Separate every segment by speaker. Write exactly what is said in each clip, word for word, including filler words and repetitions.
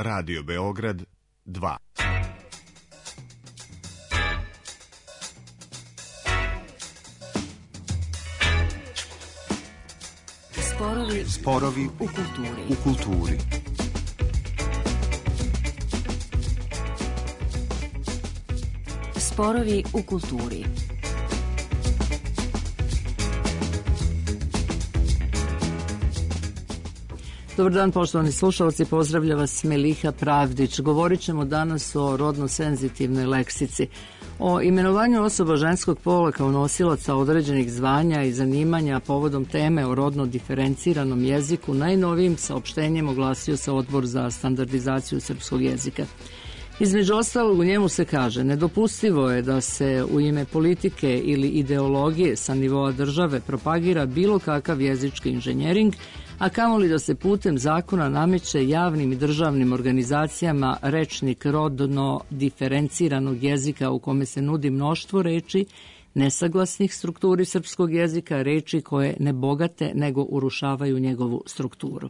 Speaker 1: Radio Beograd dva.
Speaker 2: Sporovi,
Speaker 1: Sporovi
Speaker 2: u kulturi.
Speaker 1: U kulturi.
Speaker 2: Sporovi u kulturi.
Speaker 3: Dobar dan, poštovani slušalci, pozdravlja vas Meliha Pravdić. Govorit ćemo danas o rodno-senzitivnoj leksici, o imenovanju osoba ženskog pola kao nosilaca određenih zvanja i zanimanja povodom teme o rodno diferenciranom jeziku. Najnovijim saopštenjem oglasio se Odbor za standardizaciju srpskog jezika. Između ostalog, u njemu se kaže: nedopustivo je da se u ime politike ili ideologije sa nivoa države propagira bilo kakav jezički inženjering, a kamoli da se putem zakona nameće javnim i državnim organizacijama rečnik rodno diferenciranog jezika u kome se nudi mnoštvo reči nesaglasnih strukturi srpskog jezika, reči koje ne bogate nego urušavaju njegovu strukturu.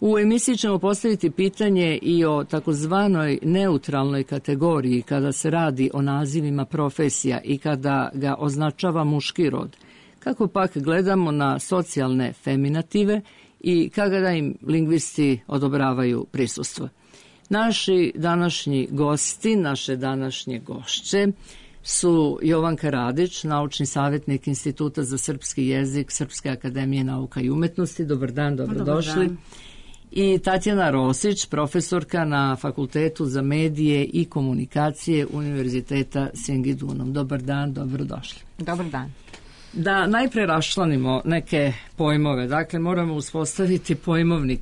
Speaker 3: U emisiji ćemo postaviti pitanje i o takozvanoj neutralnoj kategoriji kada se radi o nazivima profesija i kada ga označava muški rod. Kako pak gledamo na socijalne feminative i kada im lingvisti odobravaju prisustvo. Naši današnji gosti, naše današnje gošće su Jovanka Radić, naučni savjetnik Instituta za srpski jezik Srpske akademije nauka i umetnosti. Dobar dan, dobrodošli. Dobar dan. I Tatjana Rosić, profesorka na Fakultetu za medije i komunikacije Univerziteta Sjengidunom. Dobar dan, dobrodošli.
Speaker 4: Dobar dan.
Speaker 3: Da najpre raščlanimo neke pojmove. Dakle, moramo uspostaviti pojmovnik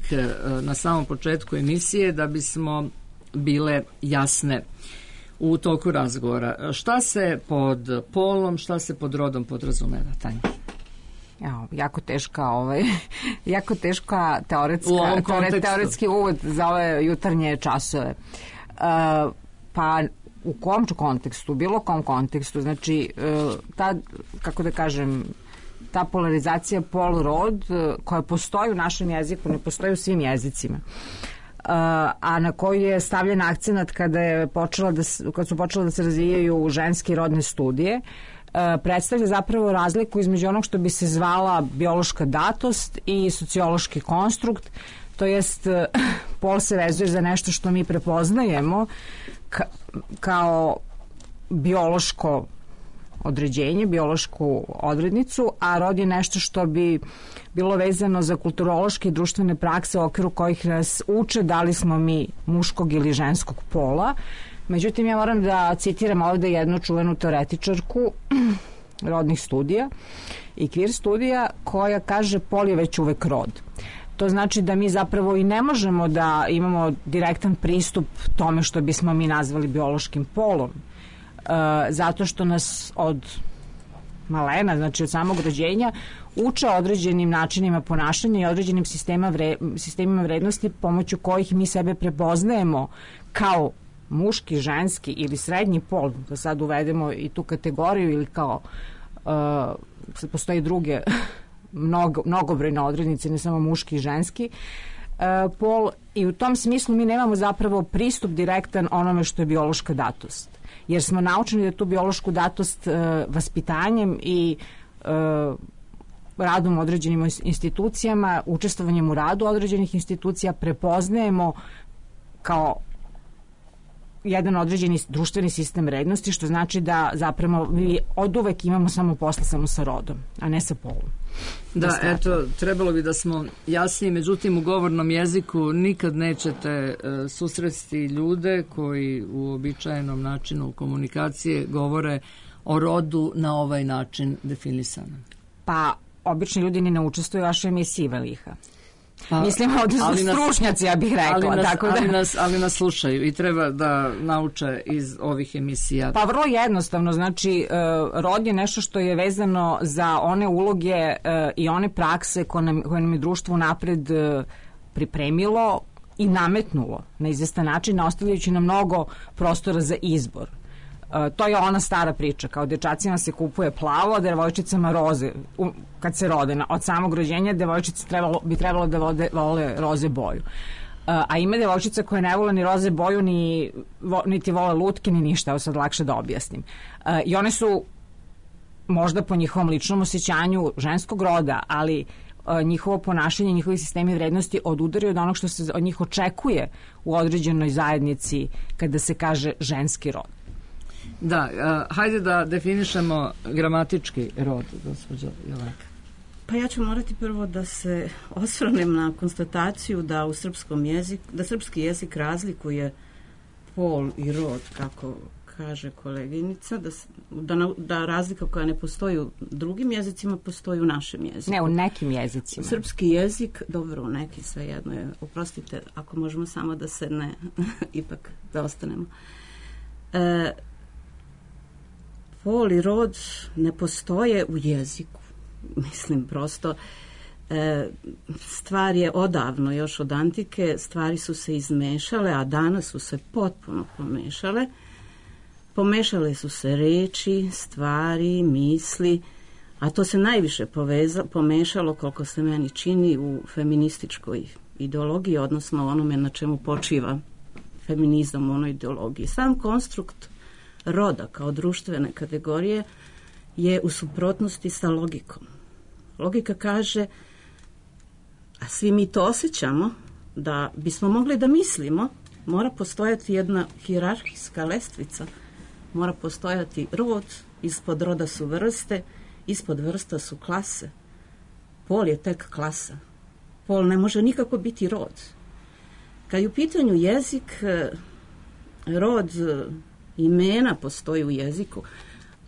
Speaker 3: na samom početku emisije da bismo bile jasne u toku razgovora. Šta se pod polom, šta se pod rodom podrazumeva, Tanja?
Speaker 4: Ja, jako teška ovaj, jako teška teoretska, teore, teoretski uvod za ove jutarnje časove. Uh, pa u kom kontekstu, bilo kom kontekstu, znači ta, kako da kažem, ta polarizacija pol-rod koja postoji u našem jeziku, ne postoji u svim jezicima, a na koju je stavljen akcenat kada, je počela da, kad su počela da se razvijaju ženske rodne studije, predstavlja zapravo razliku između onog što bi se zvala biološka datost i sociološki konstrukt, to jest pol se vezuje za nešto što mi prepoznajemo Ka, kao biološko određenje, biološku odrednicu, a rod je nešto što bi bilo vezano za kulturološke i društvene prakse u okviru kojih nas uče da li smo mi muškog ili ženskog pola. Međutim, ja moram da citiram ovde jednu čuvenu teoretičarku rodnih studija i queer studija koja kaže: pol je već uvek rod. To znači da mi zapravo i ne možemo da imamo direktan pristup tome što bismo mi nazvali biološkim polom, e, zato što nas od malena, znači od samog rođenja, uče određenim načinima ponašanja i određenim sistema vre, sistemima vrednosti pomoću kojih mi sebe prepoznajemo kao muški, ženski ili srednji pol, da sad uvedemo i tu kategoriju, ili kao e, postoji druge Mnogo, mnogobrojne odrednice, ne samo muški i ženski e, pol, i u tom smislu mi nemamo zapravo pristup direktan onome što je biološka datost, jer smo naučeni da tu biološku datost e, vaspitanjem i e, radom u određenim institucijama, učestvovanjem u radu određenih institucija prepoznajemo kao jedan određeni društveni sistem vrednosti, što znači da zapravo mi od uvek imamo samo posla samo sa rodom, a ne sa polom.
Speaker 3: Da, da eto, trebalo bi da smo jasniji, međutim u govornom jeziku nikad nećete e, susresti ljude koji u običajenom načinu komunikacije govore o rodu na ovaj način definisanom.
Speaker 4: Pa, obični ljudi ni ne učestvuju u vašoj emisiji, Meliha. Pa, mislim, ovdje su stručnjaci, ja bih rekla.
Speaker 3: Ali nas,
Speaker 4: tako da...
Speaker 3: ali, nas, ali nas slušaju i treba da nauče iz ovih emisija.
Speaker 4: Pa vrlo jednostavno, znači rod je nešto što je vezano za one uloge i one prakse koje nam, koje nam je društvo napred pripremilo i nametnulo na izvestan način, ostavljajući nam mnogo prostora za izbor. Uh, to je ona stara priča, kao dječacima se kupuje plavo, a devojčicama roze. U, kad se rode, na, od samog rođenja devojčice trebalo, bi trebalo da vode, vole roze boju. a ima devojčica koje ne vole ni roze boju, ni, niti vole lutke, ni ništa, evo sad lakše da objasnim. I one su možda po njihovom ličnom osjećanju ženskog roda, ali njihovo ponašanje, njihovi sistemi vrednosti odudaraju od onog što se od njih očekuje u određenoj zajednici kada se kaže ženski rod.
Speaker 3: Da, uh, hajde da definišemo gramatički rod, gospođo Jelenka.
Speaker 5: Pa ja ću morati prvo da se osvrnem na konstataciju da u srpskom jeziku, da srpski jezik razlikuje pol i rod, kako kaže koleginica, da, da, da razlika koja ne postoji u drugim jezicima postoji u našem jeziku.
Speaker 4: Ne, u nekim jezicima.
Speaker 5: Srpski jezik, dobro, u neki svejedno je, oprostite, ako možemo samo da se ne, ipak da ostanemo. E, pol i rod ne postoje u jeziku. Mislim, prosto e, stvar je odavno, još od antike, stvari su se izmešale, a danas su se potpuno pomešale. Pomešale su se reči, stvari, misli, a to se najviše poveza, pomešalo, koliko se meni čini, u feminističkoj ideologiji, odnosno onome na čemu počiva feminizam u onoj ideologiji. Sam konstrukt roda kao društvene kategorije je u suprotnosti sa logikom. Logika kaže, a svi mi to osjećamo, da bismo mogli da mislimo, mora postojati jedna hijerarhijska lestvica, mora postojati rod, ispod roda su vrste, ispod vrsta su klase. Pol je tek klasa. Pol ne može nikako biti rod. Kad je u pitanju jezik, rod imena postoji u jeziku,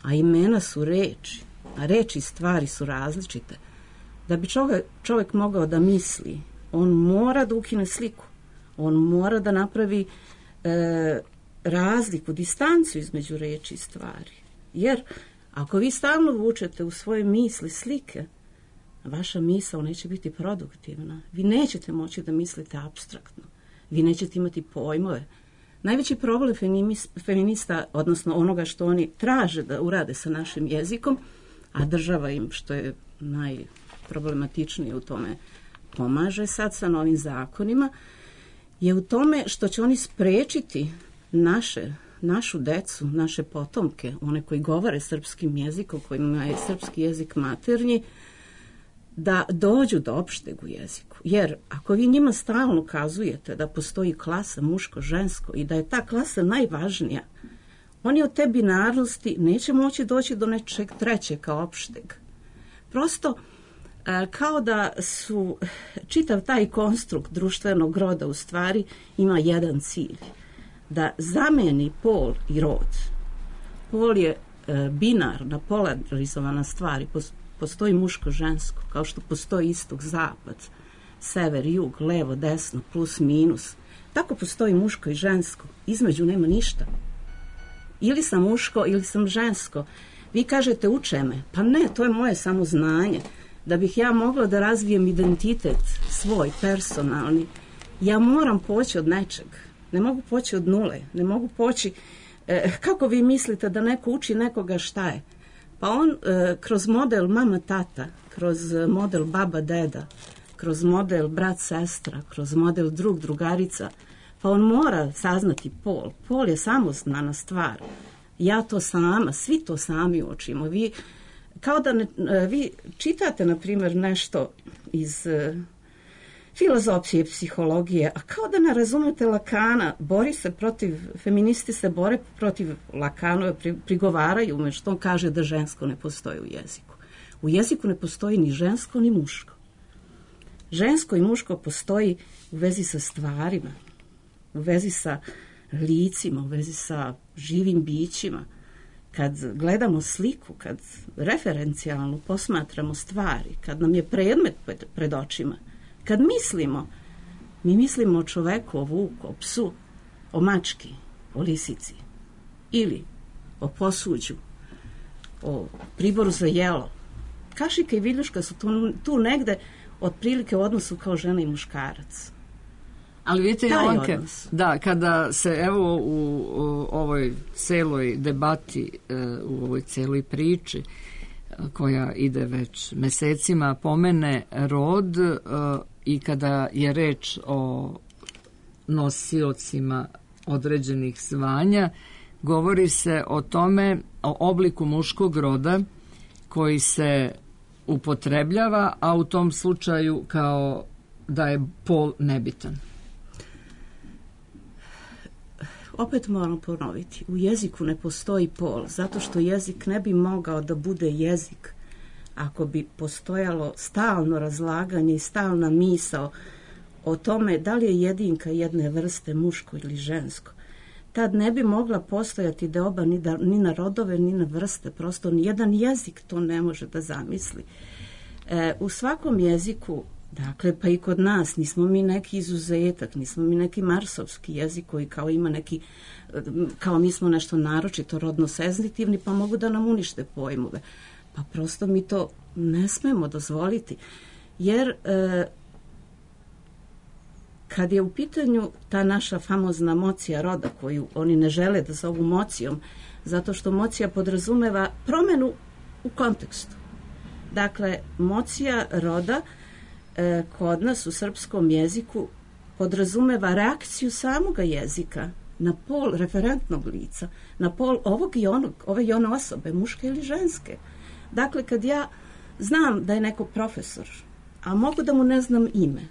Speaker 5: a imena su reči, a reči i stvari su različite. Da bi čovjek, čovjek mogao da misli, on mora da ukine sliku, on mora da napravi e, razliku, distancu između reči i stvari. Jer ako vi stalno vučete u svoje misli slike, vaša misao neće biti produktivna. Vi nećete moći da mislite apstraktno. Vi nećete imati pojmove. Najveći problem feminista, odnosno onoga što oni traže da urade sa našim jezikom, a država im, što je najproblematičnije u tome, pomaže sad sa novim zakonima, je u tome što će oni sprečiti naše, našu decu, naše potomke, one koji govore srpskim jezikom, kojima je srpski jezik maternji, da dođu do opšteg u jeziku. Jer ako vi njima stalno kazujete da postoji klasa muško-žensko i da je ta klasa najvažnija, oni od te binarnosti neće moći doći do nečeg trećeg kao opšteg. Prosto kao da su čitav taj konstrukt društvenog roda u stvari ima jedan cilj, da zameni pol i rod. Pol je binarna, polarizovana stvar, postoji muško-žensko, kao što postoji istok-zapad, sever-jug, levo-desno, plus-minus. Tako postoji muško i žensko. Između nema ništa. Ili sam muško, ili sam žensko. Vi kažete uče me. Pa ne, to je moje samo znanje. Da bih ja mogla da razvijem identitet svoj, personalni, ja moram poći od nečeg. Ne mogu poći od nule. Ne mogu poći... E, kako vi mislite da neko uči nekoga šta je? Pa on e, kroz model mama-tata, kroz model baba-deda, kroz model brat-sestra, kroz model drug-drugarica, pa on mora saznati pol. Pol je samoznana stvar. Ja to sama, svi to sami učimo. Vi, kao da ne, vi čitate, na primjer, nešto iz uh, filozofije, psihologije, a kao da ne razumete Lakana, bori se protiv, feministi se bore protiv Lakanove, pri, prigovaraju me što on kaže da žensko ne postoji u jeziku. U jeziku ne postoji ni žensko, ni muško. Žensko i muško postoji u vezi sa stvarima, u vezi sa licima, u vezi sa živim bićima. Kad gledamo sliku, kad referencijalno posmatramo stvari, kad nam je predmet pred očima, kad mislimo, mi mislimo o čoveku, o vuku, o psu, o mački, o lisici ili o posuđu, o priboru za jelo. Kašika i viljuška su tu, tu negde otprilike u odnosu kao žena i muškarac.
Speaker 3: Ali vidite, Jelenke, da, kada se evo u, u ovoj celoj debati, u ovoj celoj priči koja ide već mesecima, pomene rod i kada je reč o nosiocima određenih zvanja. Govori se o tome, o obliku muškog roda koji se upotrebljava, a u tom slučaju kao da je pol nebitan.
Speaker 5: Opet moram ponoviti, u jeziku ne postoji pol, zato što jezik ne bi mogao da bude jezik ako bi postojalo stalno razlaganje i stalna misao o tome da li je jedinka jedne vrste muško ili žensko. Tad ne bi mogla postojati deoba ni, da, ni na rodove, ni na vrste. Prosto nijedan jezik to ne može da zamisli. E, u svakom jeziku, dakle, pa i kod nas, nismo mi neki izuzetak, nismo mi neki marsovski jezik koji kao ima neki, kao mi smo nešto naročito rodno senzitivni, pa mogu da nam unište pojmove. Pa prosto mi to ne smemo dozvoliti. Jer e, kad je u pitanju ta naša famozna mocija roda, koju oni ne žele da zovu mocijom, zato što mocija podrazumeva promenu u kontekstu. Dakle, mocija roda e, kod nas u srpskom jeziku podrazumeva reakciju samoga jezika na pol referentnog lica, na pol ovog i onog, ove i one osobe, muške ili ženske. Dakle, kad ja znam da je neko profesor, a mogu da mu ne znam ime,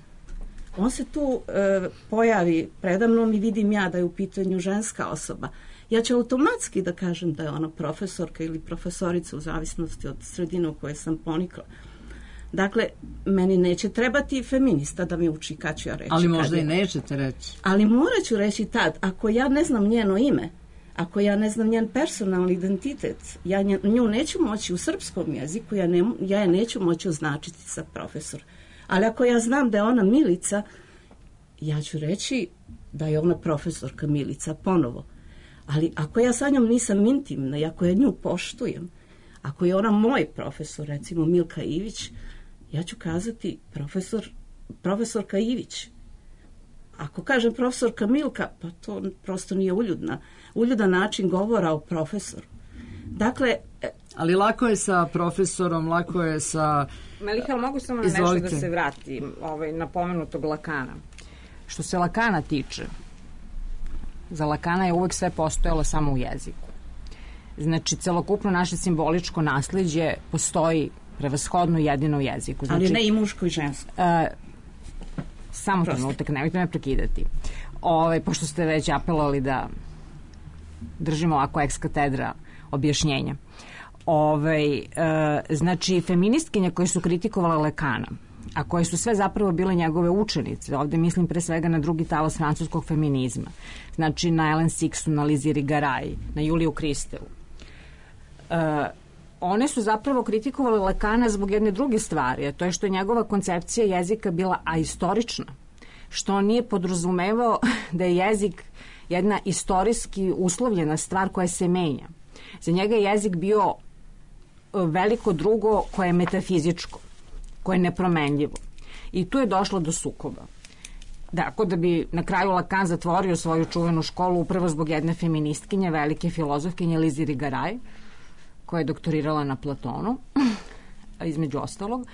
Speaker 5: on se tu e, pojavi predamnom i vidim ja da je u pitanju ženska osoba. Ja ću automatski da kažem da je ona profesorka ili profesorica u zavisnosti od sredine u kojoj sam ponikla. Dakle, meni neće trebati feminista da mi uči kad ću ja reći.
Speaker 3: Ali možda
Speaker 5: je.
Speaker 3: i nećete reći.
Speaker 5: Ali morat ću reći tad, ako ja ne znam njeno ime, ako ja ne znam njen personalni identitet, ja nju neću moći u srpskom jeziku, ja, ne, ja je neću moći označiti sa profesor. Ali ako ja znam da je ona Milica, ja ću reći da je ona profesorka Milica ponovo. Ali ako ja sa njom nisam intimna i ako ja nju poštujem, ako je ona moj profesor, recimo Milka Ivić, ja ću kazati profesor, profesorka Ivić. Ako kažem profesorka Milka, pa to prosto nije uljudna. Uljudan način govora o profesoru. Dakle...
Speaker 3: Ali lako je sa profesorom, lako je sa...
Speaker 4: Meliha, mogu samo na nešto da se vratim ovaj, na pomenutog Lakana. Što se Lakana tiče, za Lakana je uvek sve postojalo samo u jeziku. Znači, celokupno naše simboličko nasleđe postoji prevashodno jedino u jeziku. Znači,
Speaker 5: ali ne i muško i žensko.
Speaker 4: Uh, samo trenutak, nemojte me prekidati. Ove, pošto ste već apelovali da držimo ovako ex katedra objašnjenja. Ove, e, znači, feministkinje koje su kritikovale Lakana, a koje su sve zapravo bile njegove učenice, ovde mislim pre svega na drugi talas francuskog feminizma, znači na Ellen Sixu, na Lizi Rigaray, na Juliju Kristelu. E, one su zapravo kritikovale Lakana zbog jedne druge stvari, a to je što je njegova koncepcija jezika bila ahistorična, što on nije podrazumevao da je jezik jedna istorijski uslovljena stvar koja se menja. Za njega je jezik bio veliko drugo koje je metafizičko, koje je nepromenljivo. I tu je došlo do sukoba. Dakle, da bi na kraju Lacan zatvorio svoju čuvenu školu upravo zbog jedne feministkinje, velike filozofkinje Lizi Rigaray, koja je doktorirala na Platonu, između ostalog, uh,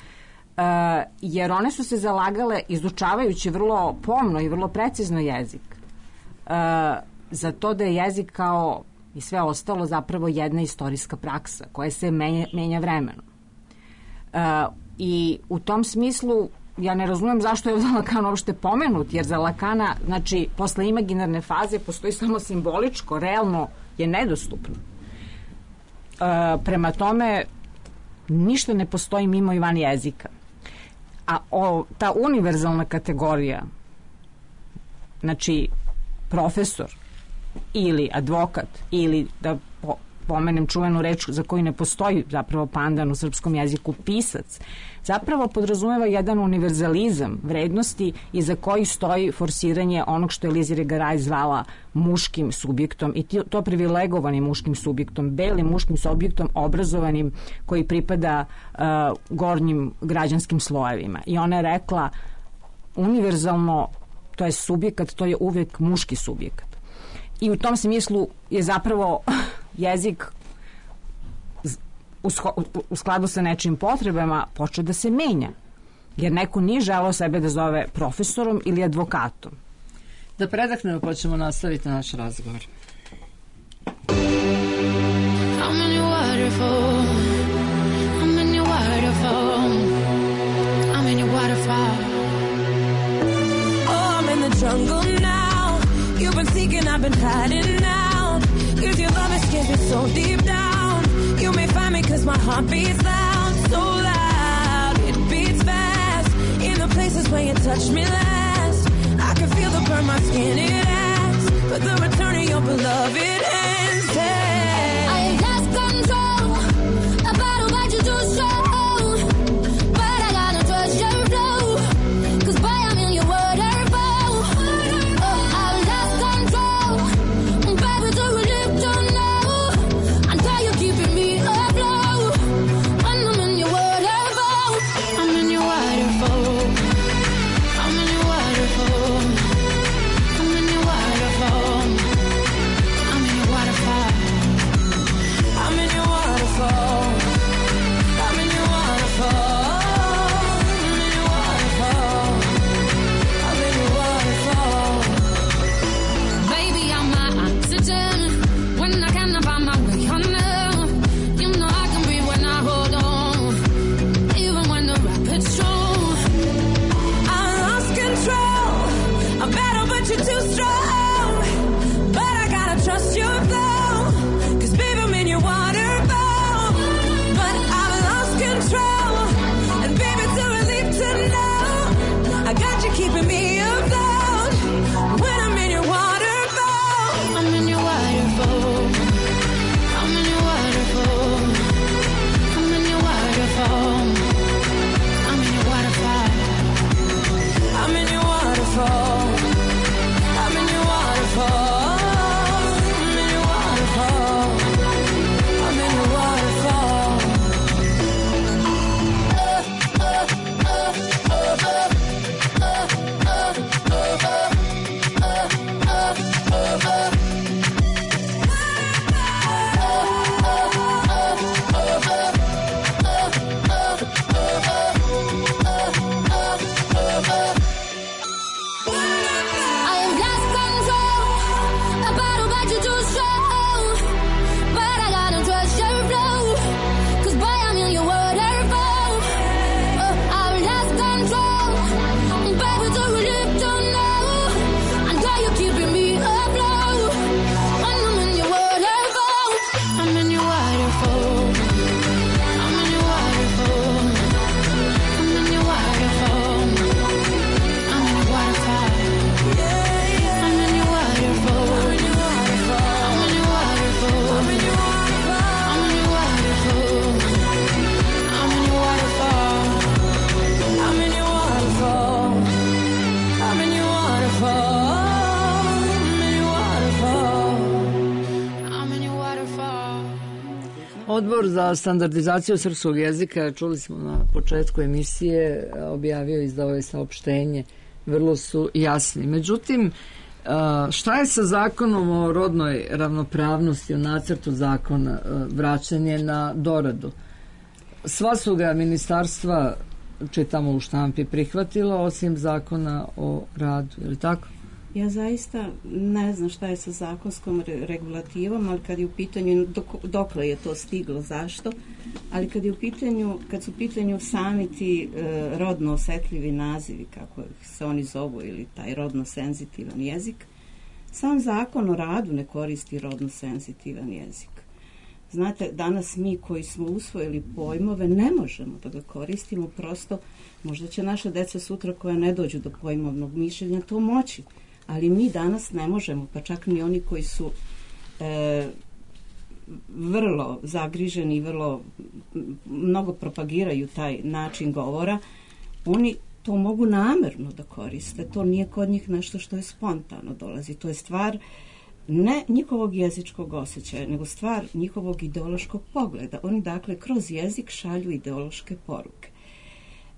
Speaker 4: jer one su se zalagale, izučavajući vrlo pomno i vrlo precizno jezik, uh, za to da je jezik kao i sve ostalo zapravo jedna istorijska praksa koja se menja, menja vremenom. Uh, I u tom smislu ja ne razumem zašto je ovdje Lacan uopšte pomenut, jer za Lacana, znači, posle imaginarne faze postoji samo simboličko, realno je nedostupno. Uh, prema tome, ništa ne postoji mimo i van jezika. A o, ta univerzalna kategorija, znači, profesor ili advokat ili, da po, pomenem čuvenu reč za koju ne postoji zapravo pandan u srpskom jeziku, pisac, zapravo podrazumeva jedan univerzalizam vrednosti iza koji stoji forsiranje onog što je Lizi Rigaray zvala muškim subjektom, i to privilegovanim muškim subjektom, belim muškim subjektom, obrazovanim, koji pripada uh, gornjim građanskim slojevima. I ona je rekla univerzalno, to je subjekat, to je uvijek muški subjekat. I u tom smislu je zapravo jezik u, u skladu sa nečim potrebama počeo da se menja. Jer neko nije želeo sebe da zove profesorom ili advokatom.
Speaker 3: Da predahnemo pa ćemo nastaviti naš razgovor.
Speaker 6: I'm in your waterfall. I'm in your waterfall. I'm in your waterfall.
Speaker 7: Oh, I'm in the jungle now. You've been seeking, I've been hiding now. Cause your love has scared me so deep down. You may find me cause my heart beats loud. So loud, it beats fast. In the places where you touched me last. I can feel the burn my skin, it asks. But the return of your beloved hands. Hey.
Speaker 6: I lost control. A battle but you too strong. But I gotta trust your flow. Cause boy, I'm in your waterfall. Oh, I lost control. Baby, do you live to know? Until you're keeping me afloat. When I'm in your waterfall. I'm in your waterfall. I'm in your waterfall. I'm in your waterfall. I'm in your waterfall.
Speaker 7: I'm in your waterfall. I'm in your waterfall. I'm in your waterfall. I'm in your waterfall.
Speaker 6: Baby, I'm my oxygen. When I cannot find my way under, you know I can breathe when I hold on. Even when the rapids strong.
Speaker 7: I lost control. A battle, but you're too strong. But I gotta trust your flow. Cause baby, I'm in your waterfall. But I've lost control. And baby, it's a relief to know I got you keeping me afloat. When I'm in your waterfall.
Speaker 6: I'm in your waterfall. I'm in your waterfall. I'm in your waterfall. I'm in your waterfall.
Speaker 7: I'm in your waterfall. I'm in your waterfall. I'm in your waterfall. I'm in your waterfall.
Speaker 6: I have lost control. A battle but you too strong. But I gotta trust your flow. Cause boy, I'm in your waterfall. Oh, I've lost control. Baby, do you live to know? Until you're keeping me afloat. When I'm in your waterfall. I'm in your waterfall. I'm in your waterfall. I'm in your waterfall. I'm in your waterfall. I'm in your waterfall. I'm in your waterfall. I'm in your waterfall. I'm in your waterfall.
Speaker 7: I'm in your waterfall. I'm in your waterfall. I'm in your waterfall. I'm in your waterfall.
Speaker 6: I'm in your waterfall.
Speaker 3: Odbor za standardizaciju srpskog jezika, čuli smo na početku emisije, objavio i izdao je saopštenje, vrlo su jasni. Međutim, šta je sa zakonom o rodnoj ravnopravnosti u nacrtu zakona, vraćen je na doradu? Sva su ga ministarstva, čitamo u štampi, prihvatila, osim zakona o radu, je li tako?
Speaker 5: Ja zaista ne znam šta je sa zakonskom re- regulativom, ali kad je u pitanju, dok, dokle je to stiglo, zašto, ali kad je u pitanju, kad su u pitanju sami ti e, rodno osetljivi nazivi, kako se oni zovu, ili taj rodno senzitivan jezik, sam zakon o radu ne koristi rodno senzitivan jezik. Znate, danas mi koji smo usvojili pojmove ne možemo da ga koristimo, prosto možda će naša deca sutra koja ne dođu do pojmovnog mišljenja to moći, ali mi danas ne možemo, pa čak ni oni koji su e, vrlo zagriženi, vrlo mnogo propagiraju taj način govora, oni to mogu namerno da koriste, to nije kod njih nešto što je spontano dolazi, to je stvar ne njihovog jezičkog osjećaja, nego stvar njihovog ideološkog pogleda. Oni dakle kroz jezik šalju ideološke poruke.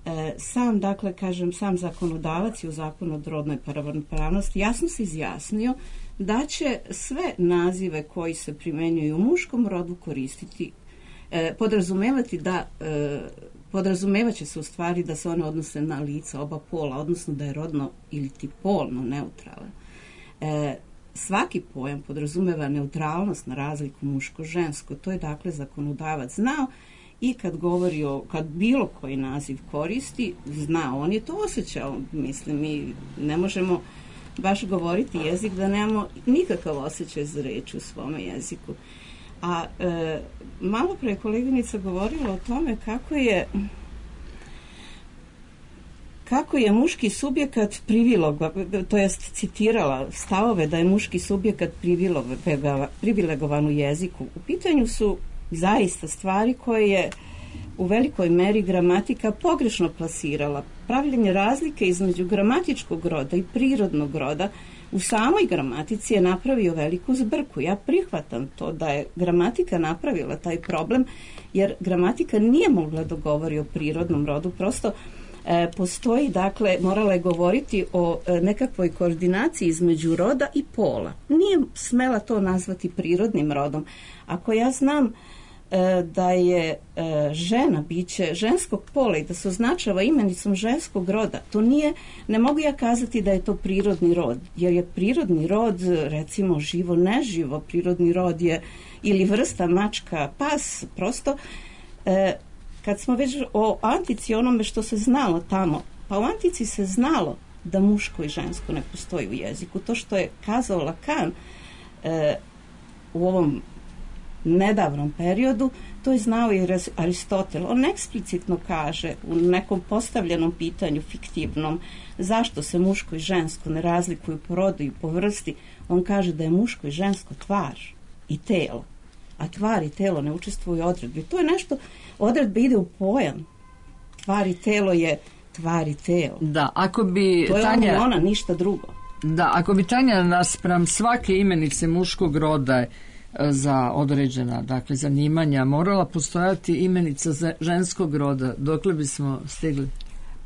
Speaker 5: E, sam, dakle, kažem, sam zakonodavac i u zakonu o rodnoj ravnopravnosti jasno se izjasnio da će sve nazive koji se primenjuju u muškom rodu koristiti, e, podrazumevati da e, podrazumevaće se u stvari da se one odnose na lica oba pola, odnosno da je rodno ili ti polno neutralan. E, svaki pojam podrazumeva neutralnost na razliku muško-žensko. To je dakle zakonodavac znao i kad govori o, kad bilo koji naziv koristi, zna, on je to osjećao. Mislim, mi ne možemo baš govoriti jezik da nemamo nikakav osjećaj za reč u svome jeziku. A e, malo pre je koleginica govorila o tome kako je kako je muški subjekat privilegovan, to jest citirala stavove da je muški subjekat privilegovan u jeziku. U pitanju su zaista stvari koje je u velikoj meri gramatika pogrešno plasirala. Pravljenje razlike između gramatičkog roda i prirodnog roda u samoj gramatici je napravio veliku zbrku. Ja prihvatam to da je gramatika napravila taj problem, jer gramatika nije mogla da govori o prirodnom rodu, prosto e, postoji, dakle, morala je govoriti o e, nekakvoj koordinaciji između roda i pola. Nije smela to nazvati prirodnim rodom. Ako ja znam da je žena biće ženskog pola i da se označava imenicom ženskog roda, to nije, ne mogu ja kazati da je to prirodni rod, jer je prirodni rod, recimo, živo, neživo, prirodni rod je ili vrsta mačka, pas, prosto kad smo već o antici, onome što se znalo tamo, pa u antici se znalo da muško i žensko ne postoji u jeziku. To što je kazao Lacan u ovom nedavnom periodu, to je znao i Aristotel. On eksplicitno kaže u nekom postavljenom pitanju fiktivnom zašto se muško i žensko ne razlikuju po rodu i po vrsti. On kaže da je muško i žensko tvar i telo, a tvar i telo ne učestvuju u odredbi. To je nešto, odredba ide u pojam. Tvar i telo je tvar i telo.
Speaker 3: Da, ako bi
Speaker 5: to je
Speaker 3: Tanja,
Speaker 5: ona, ona, ništa drugo.
Speaker 3: Da, ako bi Tanja naspram svake imenice muškog roda za određena, dakle, zanimanja morala postojati imenica za ženskog roda, dokle bismo stigli?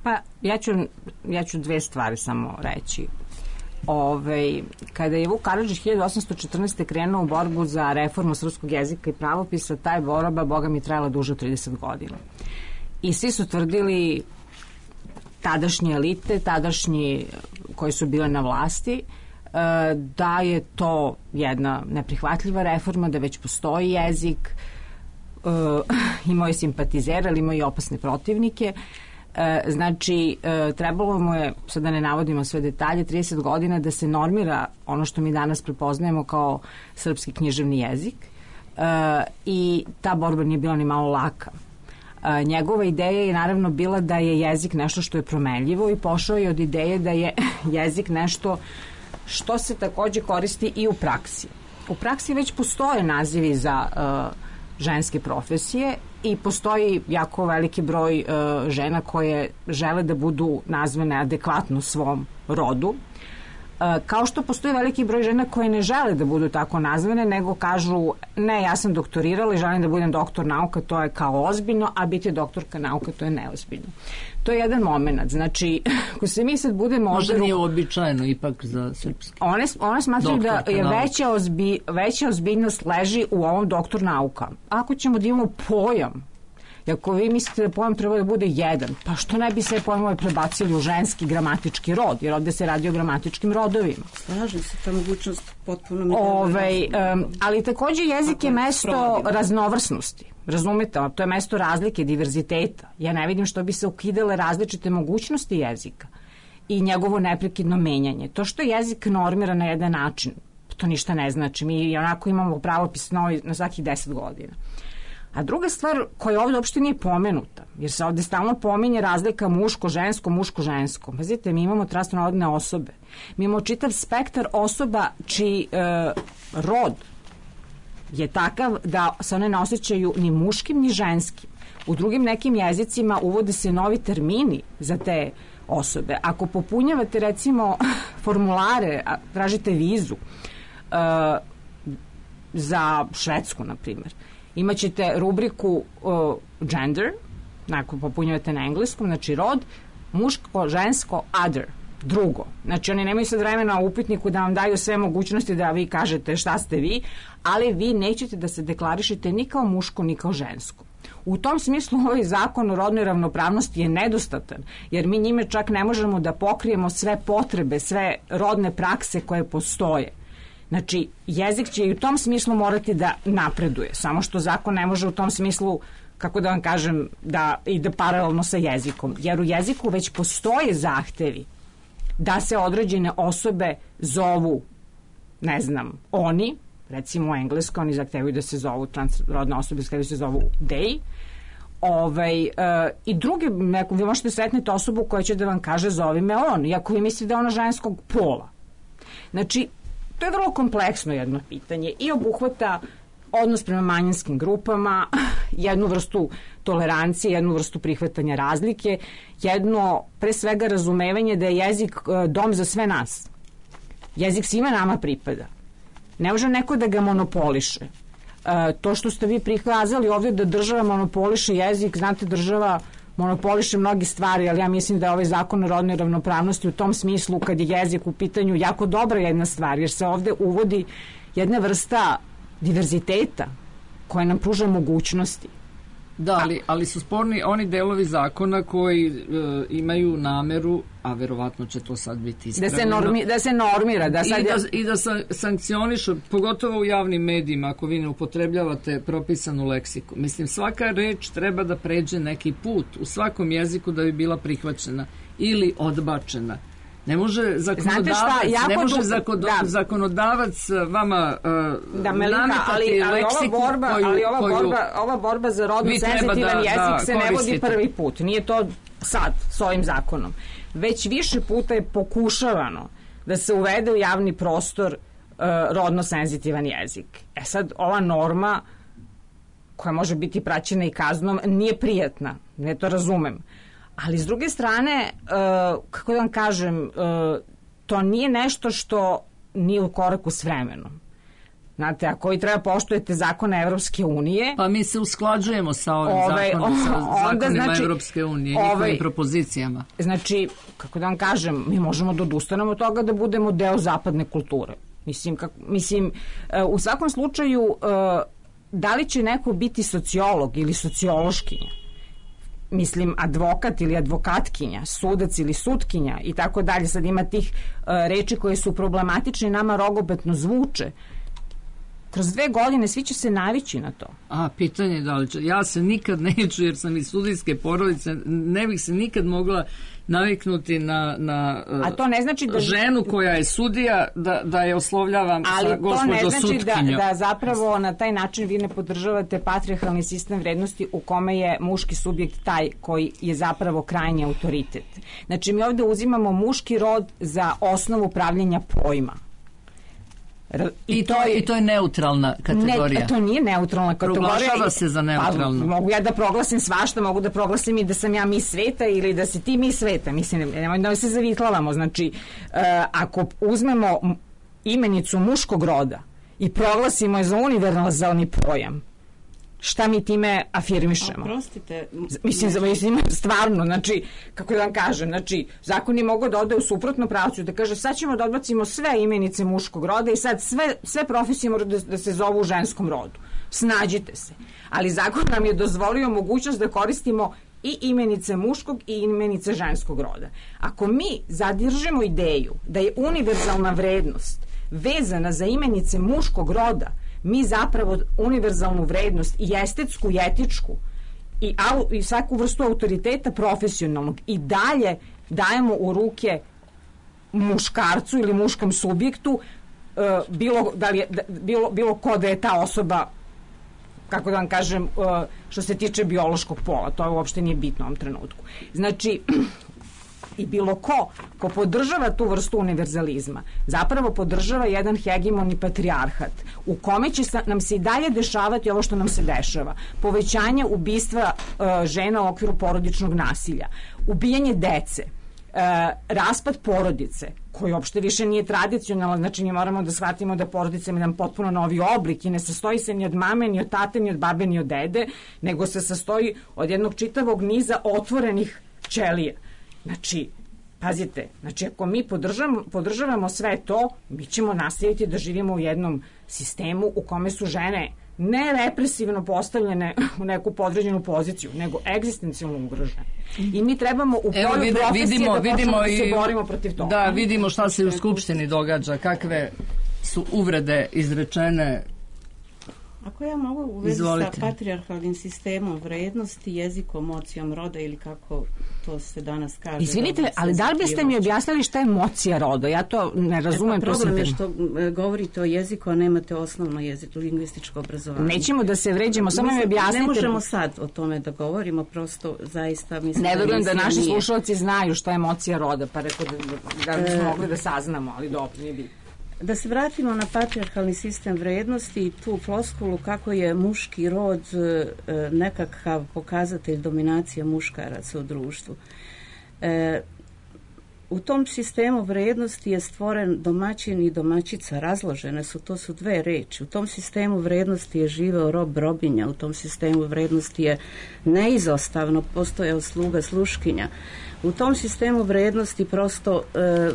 Speaker 4: Pa, ja ću, ja ću dve stvari samo reći. Ove, kada je Vuk Karadžić hiljadu osamsto četrnaeste. krenuo u borbu za reformu srpskog jezika i pravopisa, taj borba, boga mi, trajala duže od trideset godina. I svi su tvrdili, tadašnje elite, tadašnji koji su bile na vlasti, da je to jedna neprihvatljiva reforma, da već postoji jezik, imao je simpatizera, ali imao i opasne protivnike. Znači, trebalo mu je, sad da ne navodimo sve detalje, trideset godina da se normira ono što mi danas prepoznajemo kao srpski književni jezik, i ta borba nije bila ni malo laka. Njegova ideja je naravno bila da je jezik nešto što je promenljivo i pošao je od ideje da je jezik nešto što se takođe koristi i u praksi. U praksi već postoje nazivi za uh, ženske profesije i postoji jako veliki broj uh, žena koje žele da budu nazvane adekvatno svom rodu. Uh, kao što postoji veliki broj žena koje ne žele da budu tako nazvane, nego kažu, ne, ja sam doktorirala i želim da budem doktor nauka, to je kao ozbiljno, a biti doktorka nauka, to je neozbiljno. To je jedan moment. Znači, ako se mi sad budemo...
Speaker 3: Možda nije uobičajeno ipak za srpski.
Speaker 4: One, one smatruju da je veća, ozbi, veća ozbiljnost leži u ovom doktor nauka. Ako ćemo da imamo pojam, i ako vi mislite da pojam treba da bude jedan, pa što ne bi sve pojmove prebacili u ženski gramatički rod, jer ovde se radi o gramatičkim rodovima.
Speaker 5: Slažem se, ta mogućnost potpuno mi...
Speaker 4: Ove, um, ali takođe jezik je mesto raznovrsnosti. Razumete, to je mesto razlike, diverziteta. Ja ne vidim što bi se ukidale različite mogućnosti jezika i njegovo neprekidno menjanje. To što jezik normira na jedan način, to ništa ne znači. Mi onako imamo pravopis novi na svakih deset godina. A druga stvar koja ovdje uopšte nije pomenuta, jer se ovdje stalno pominje razlika muško-žensko, muško-žensko. Pazite, mi imamo trasnorodne osobe. Mi imamo čitav spektar osoba čiji e, rod je takav da se one ne osjećaju ni muškim ni ženskim. U drugim nekim jezicima uvode se novi termini za te osobe. Ako popunjavate recimo formulare, tražite vizu uh, za Švedsku, na primjer, imaćete rubriku uh, gender, ako popunjavate na engleskom, znači rod, muško, žensko, other. Drugo, znači oni nemaju sad vremena u upitniku da vam daju sve mogućnosti da vi kažete šta ste vi, ali vi nećete da se deklarišete ni kao muško ni kao žensko. U tom smislu ovaj zakon o rodnoj ravnopravnosti je nedostatan, jer mi njime čak ne možemo da pokrijemo sve potrebe, sve rodne prakse koje postoje. Znači, jezik će i u tom smislu morati da napreduje, samo što zakon ne može u tom smislu, kako da vam kažem, da ide paralelno sa jezikom, jer u jeziku već postoje zahtevi da se određene osobe zovu, ne znam, oni, recimo u engleskom, oni zahtevaju da se zovu transrodne osobe, zahtevaju da se zovu they, ovaj, uh, i druge, neko, vi možete sretniti osobu koja će da vam kaže zovi me on, iako vi mislite da je ona ženskog pola. Znači, to je vrlo kompleksno jedno pitanje i obuhvata odnos prema manjinskim grupama, jednu vrstu tolerancije, jednu vrstu prihvatanja razlike, jedno, pre svega, razumevanje da je jezik dom za sve nas. Jezik svima nama pripada. Ne može neko da ga monopoliše. E, to što ste vi prikazali ovdje da država monopoliše jezik, znate, država monopoliše mnogi stvari, ali ja mislim da je ovaj zakon o rodnoj ravnopravnosti u tom smislu, kad je jezik u pitanju, jako dobra jedna stvar, jer se ovdje uvodi jedna vrsta diverziteta koja nam pruža mogućnosti.
Speaker 3: Da, ali, ali su sporni oni delovi zakona koji e, imaju nameru, a verovatno će to sad biti ispravljeno,
Speaker 4: da se, normi, da se normira. Da sad
Speaker 3: I da, i da sa, sankcionišu, pogotovo u javnim medijima, ako vi ne upotrebljavate propisanu leksiku. Mislim, svaka reč treba da pređe neki put u svakom jeziku da bi bila prihvaćena ili odbačena. Ne može zakonodavac, šta, ne može zakon, da. zakonodavac vama uh,
Speaker 4: da, Melinka, ali, ali
Speaker 3: leksiku
Speaker 4: ova borba,
Speaker 3: koju,
Speaker 4: ali ova
Speaker 3: koju
Speaker 4: borba, ova borba za rodno senzitivan da, jezik da se ne vodi prvi put. Nije to sad s ovim zakonom. Već više puta je pokušavano da se uvede u javni prostor uh, rodno senzitivan jezik. E sad, ova norma koja može biti praćena i kaznom nije prijatna. Ne to razumem. Ali s druge strane, uh, kako da vam kažem, uh, to nije nešto što nije u koraku s vremenom. Znate, ako vi treba poštujete zakone Evropske unije...
Speaker 3: Pa mi se usklađujemo sa ovim ovaj, zakonom, sa onda, zakonima znači, Evropske unije, ovaj, njihovim propozicijama.
Speaker 4: Znači, kako da vam kažem, mi možemo da odustanemo od toga da budemo deo zapadne kulture. Mislim, kako, mislim uh, u svakom slučaju, uh, da li će neko biti sociolog ili sociološkinja, mislim, advokat ili advokatkinja, sudac ili sutkinja i tako dalje, sad ima tih uh, reči koje su problematične, nama rogopetno zvuče. Kroz dve godine svi će se navići na to.
Speaker 3: A, pitanje je da li će. Ja se nikad neću, jer sam iz sudijske porodice, ne bih se nikad mogla naviknuti na, na uh,
Speaker 4: A to ne znači da...
Speaker 3: ženu koja je sudija, da, da je oslovljavam
Speaker 4: ali
Speaker 3: sa gospođo
Speaker 4: sutkinjom. Ali to ne znači da, da zapravo na taj način vi ne podržavate patrijarhalni sistem vrednosti u kome je muški subjekt taj koji je zapravo krajnji autoritet. Znači mi ovdje uzimamo muški rod za osnovu pravljenja pojma.
Speaker 3: I, I, to je, I to je neutralna kategorija.
Speaker 4: Ne, to nije neutralna kategorija.
Speaker 3: Proglašava se za neutralnu.
Speaker 4: Pa, mogu ja da proglasim svašta, mogu da proglasim i da sam ja mis sveta ili da si ti mis sveta. Mislim, nemoj da se zavitlavamo. Znači, uh, ako uzmemo imenicu muškog roda i proglasimo je za univerzalni pojam, šta mi time afirmišemo?
Speaker 5: Oprostite.
Speaker 4: Mislim, mislim, stvarno, znači, kako da vam kažem, znači, zakon je mogao da ode u suprotno pravcu, da kaže, sad ćemo da odbacimo sve imenice muškog roda i sad sve, sve profesije mora da, da se zovu u ženskom rodu. Snađite se. Ali zakon nam je dozvolio mogućnost da koristimo i imenice muškog i imenice ženskog roda. Ako mi zadržimo ideju da je univerzalna vrednost vezana za imenice muškog roda, mi zapravo univerzalnu vrednost i estetsku i etičku i, au, i svaku vrstu autoriteta profesionalnog i dalje dajemo u ruke muškarcu ili muškom subjektu, uh, bilo, da li je, da, bilo, bilo ko da je ta osoba, kako da vam kažem, uh, što se tiče biološkog pola, to uopšte nije bitno u ovom trenutku. Znači, i bilo ko ko podržava tu vrstu univerzalizma zapravo podržava jedan hegemoni patrijarhat u kome će nam se i dalje dešavati ovo što nam se dešava. Povećanje ubistva uh, žena u okviru porodičnog nasilja, ubijanje dece, uh, raspad porodice koji uopšte više nije tradicionalan, znači mi moramo da shvatimo da porodica ima jedan potpuno novi oblik i ne sastoji se ni od mame, ni od tate, ni od babe, ni od dede, nego se sastoji od jednog čitavog niza otvorenih ćelija. Znači, Pazite, znači ako mi podržavamo, podržavamo sve to, mi ćemo nastaviti da živimo u jednom sistemu u kome su žene ne represivno postavljene u neku podređenu poziciju, nego egzistencijalno ugrožene. I mi trebamo u polju
Speaker 3: vide,
Speaker 4: profesije
Speaker 3: vidimo,
Speaker 4: da
Speaker 3: vidimo
Speaker 4: počnemo da se
Speaker 3: i,
Speaker 4: borimo protiv toga.
Speaker 3: Da, vidimo šta se u Skupštini događa, kakve su uvrede izrečene.
Speaker 5: Ako ja mogu u vezi
Speaker 3: Izvolite.
Speaker 5: sa patrijarhalnim sistemom vrednosti, jezikom, mocijom roda ili kako to se danas kaže.
Speaker 4: Izvinite,
Speaker 5: rodno
Speaker 4: ali da li biste mi objasnili šta je mocija roda? Ja to ne razumem.
Speaker 5: E pa problem je
Speaker 4: to
Speaker 5: što e, govorite o jeziku, a nemate osnovno jeziku, lingvističko obrazovanje.
Speaker 4: Nećemo da se vređemo, samo mi
Speaker 5: Mislim,
Speaker 4: objasnite.
Speaker 5: Ne možemo sad o tome da govorimo, prosto zaista mislim
Speaker 4: Ne verujem da
Speaker 5: emisija
Speaker 4: naši
Speaker 5: nije.
Speaker 4: slušalci znaju šta je mocija roda, pa rekao da, da bismo mogli da saznamo, ali dobro, nije bitno.
Speaker 5: Da se vratimo na patrijarhalni sistem vrednosti i tu floskulu kako je muški rod e, nekakav pokazatelj dominacije muškaraca u društvu. E, u tom sistemu vrednosti je stvoren domaćin i domaćica, razložene su, to su dve reči. U tom sistemu vrednosti je živeo rob, robinja, u tom sistemu vrednosti je neizostavno postojao sluga, sluškinja. U tom sistemu vrednosti prosto e,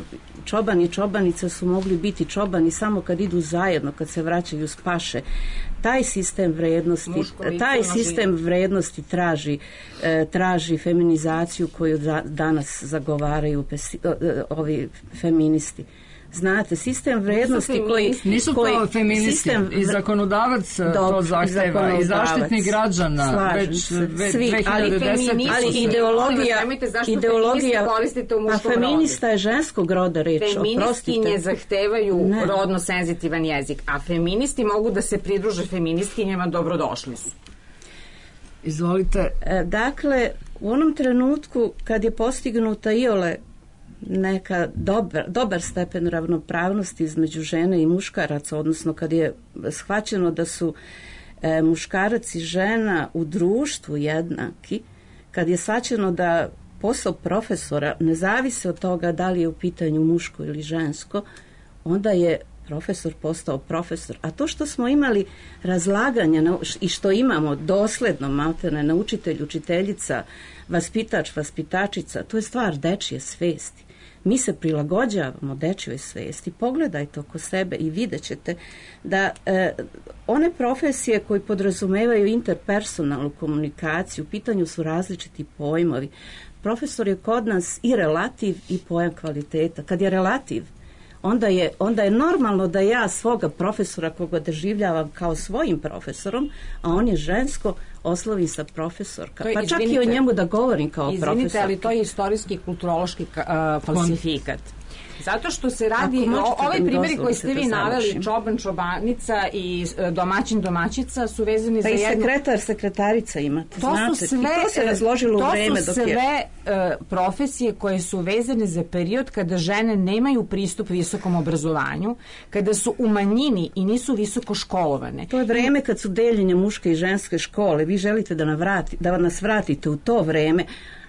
Speaker 5: čoban i čobanica su mogli biti čobani samo kad idu zajedno, kad se vraćaju s paše. Taj sistem vrednosti, taj sistem vrednosti traži, e, traži feminizaciju koju da, danas zagovaraju pesi, o, ovi feministi. Znate, sistem vrednosti koji...
Speaker 3: Nisu to
Speaker 5: koji,
Speaker 3: feministi,
Speaker 5: sistem,
Speaker 3: i zakonodavac
Speaker 5: Dob,
Speaker 3: to zahteva, i zaštitnik građana,
Speaker 5: slažem
Speaker 3: već,
Speaker 5: se,
Speaker 3: već
Speaker 5: svi,
Speaker 3: dve hiljade desete.
Speaker 5: ali ideologija, ideologija
Speaker 4: koristite u
Speaker 5: a
Speaker 4: muškom
Speaker 5: feminista je ženskog roda reč, oprostite.
Speaker 4: Feministkinje zahtevaju
Speaker 5: Ne.
Speaker 4: rodno senzitivan jezik, a feministi mogu da se pridruže feministkinjama, dobrodošli su.
Speaker 3: Izvolite.
Speaker 5: E, Dakle, u onom trenutku kad je postignuta iole neka dobar, dobar stepen ravnopravnosti između žene i muškaraca, odnosno kad je shvaćeno da su e, muškarac i žena u društvu jednaki, kad je shvaćeno da posao profesora ne zavisi od toga da li je u pitanju muško ili žensko, onda je profesor postao profesor. A to što smo imali razlaganja na, i što imamo dosledno maltene na učitelj, učiteljica, vaspitač, vaspitačica, to je stvar dečije svesti. Mi se prilagođavamo dečjoj svesti. Pogledajte oko sebe i vidjet ćete da e, one profesije koje podrazumevaju interpersonalnu komunikaciju, u pitanju su različiti pojmovi. Profesor je kod nas i relativ i pojam kvaliteta. Kad je relativ, onda je, onda je normalno da ja svoga profesora koga doživljavam kao svojim profesorom, a on je žensko, oslovim sa profesorka.
Speaker 4: To je,
Speaker 5: pa čak
Speaker 4: izvinite,
Speaker 5: i o njemu da govorim kao
Speaker 4: izvinite,
Speaker 5: profesorka.
Speaker 4: Izvinite, ali to je istorijski i kulturološki uh, falsifikat. Zato što se radi,
Speaker 5: Ako možete
Speaker 4: ovaj
Speaker 5: da mi
Speaker 4: primjeri koji
Speaker 5: dozvolite
Speaker 4: ste vi
Speaker 5: da
Speaker 4: naveli,
Speaker 5: završim.
Speaker 4: čoban, čobanica i e, domaćin, domaćica su vezani
Speaker 5: Pa
Speaker 4: za
Speaker 5: i
Speaker 4: jednu...
Speaker 5: sekretar, sekretarica imate,
Speaker 4: To
Speaker 5: znate.
Speaker 4: su sve,
Speaker 5: I to se razložilo u vreme
Speaker 4: to su
Speaker 5: dok
Speaker 4: sve
Speaker 5: je...
Speaker 4: e, profesije koje su vezane za period kada žene nemaju pristup visokom obrazovanju, kada su u manjini i nisu visoko školovane.
Speaker 5: To je vreme kad su deljenje muške i ženske škole. Vi želite da, navrati, da nas vratite u to vreme.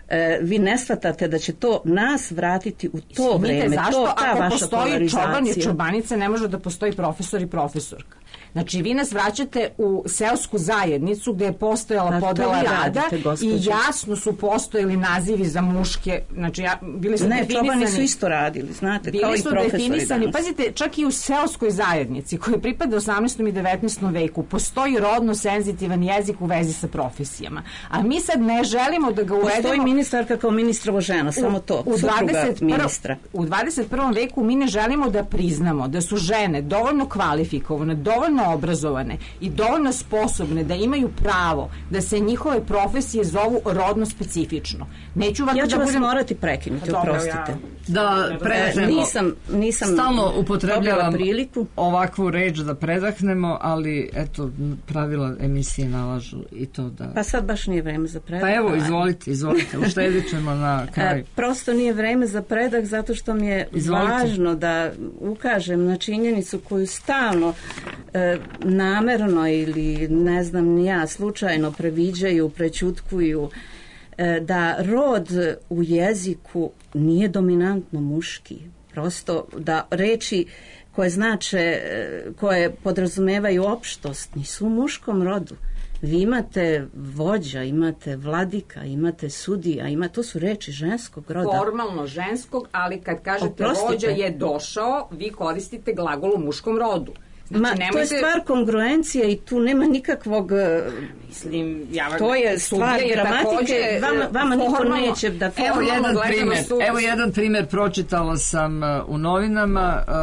Speaker 5: E, vi ne shvatate da će to nas vratiti u to
Speaker 4: Izvinite,
Speaker 5: vreme.
Speaker 4: zašto
Speaker 5: to, ta
Speaker 4: ako
Speaker 5: vaša
Speaker 4: postoji čoban i
Speaker 5: polarizacija.
Speaker 4: čobanica ne može da postoji profesor i profesorka? Znači, vi nas vraćate u seosku zajednicu gde je postojala
Speaker 5: A to
Speaker 4: podela
Speaker 5: vi
Speaker 4: rada
Speaker 5: radite, gospođo.
Speaker 4: i jasno su postojali nazivi za muške, znači ja, bili su
Speaker 5: Ne,
Speaker 4: definisani.
Speaker 5: čobani su isto radili, znate, kao
Speaker 4: Bili
Speaker 5: i
Speaker 4: su
Speaker 5: profesori
Speaker 4: definisani,
Speaker 5: danas.
Speaker 4: pazite, čak i u seoskoj zajednici koja pripada osamnaestom i devetnaestom veku postoji rodno senzitivan jezik u vezi sa profesijama. A mi sad ne želimo da ga uvedemo...
Speaker 5: Postoji ministarka kao ministrovo žena, samo to,
Speaker 4: u
Speaker 5: supruga
Speaker 4: dvadeset prvom
Speaker 5: ministra.
Speaker 4: U dvadeset prvom veku mi ne želimo da priznamo da su žene dovoljno kvalifikovane, dovoljno obrazovane i dovoljno sposobne da imaju pravo da se njihove profesije zovu rodno specifično. Neću vam
Speaker 5: Ja
Speaker 4: da
Speaker 5: ću vas
Speaker 4: budem...
Speaker 5: morati prekinuti,
Speaker 4: Dobro,
Speaker 5: oprostite.
Speaker 4: ja-
Speaker 3: Da
Speaker 5: E,
Speaker 3: predahnemo.
Speaker 5: nisam, nisam
Speaker 3: Stalno upotrebljavam
Speaker 5: dobila priliku.
Speaker 3: ovakvu reč da predahnemo, ali eto, pravila emisije nalažu i to da...
Speaker 5: Pa sad baš nije vreme za predah.
Speaker 3: Pa evo, izvolite, izvolite, uštedit ćemo na kraju.
Speaker 5: E, prosto nije vreme za predah zato što mi je
Speaker 3: Izvolite.
Speaker 5: važno da ukažem na činjenicu koju stalno e, namerno ili ne znam ni ja slučajno previđaju, prećutkuju, e, da rod u jeziku nije dominantno muški. Prosto da reči koje znače, e, koje podrazumevaju opštost nisu u muškom rodu. Vi imate vođa, imate vladika, imate sudija, ima, to su reči ženskog roda.
Speaker 4: Formalno ženskog, ali kad kažete
Speaker 5: Oprostite.
Speaker 4: vođa je došao, vi koristite glagol u muškom rodu. Znači,
Speaker 5: Ma,
Speaker 4: nemojte...
Speaker 5: to je stvar kongruencije i tu nema nikakvog...
Speaker 4: Mislim, ja,
Speaker 5: to je stvar
Speaker 4: je
Speaker 5: gramatike, vama, vama niko
Speaker 4: formalno,
Speaker 5: neće da...
Speaker 3: Evo jedan primjer,
Speaker 4: sud...
Speaker 3: evo jedan primjer, pročitala sam uh, u novinama uh,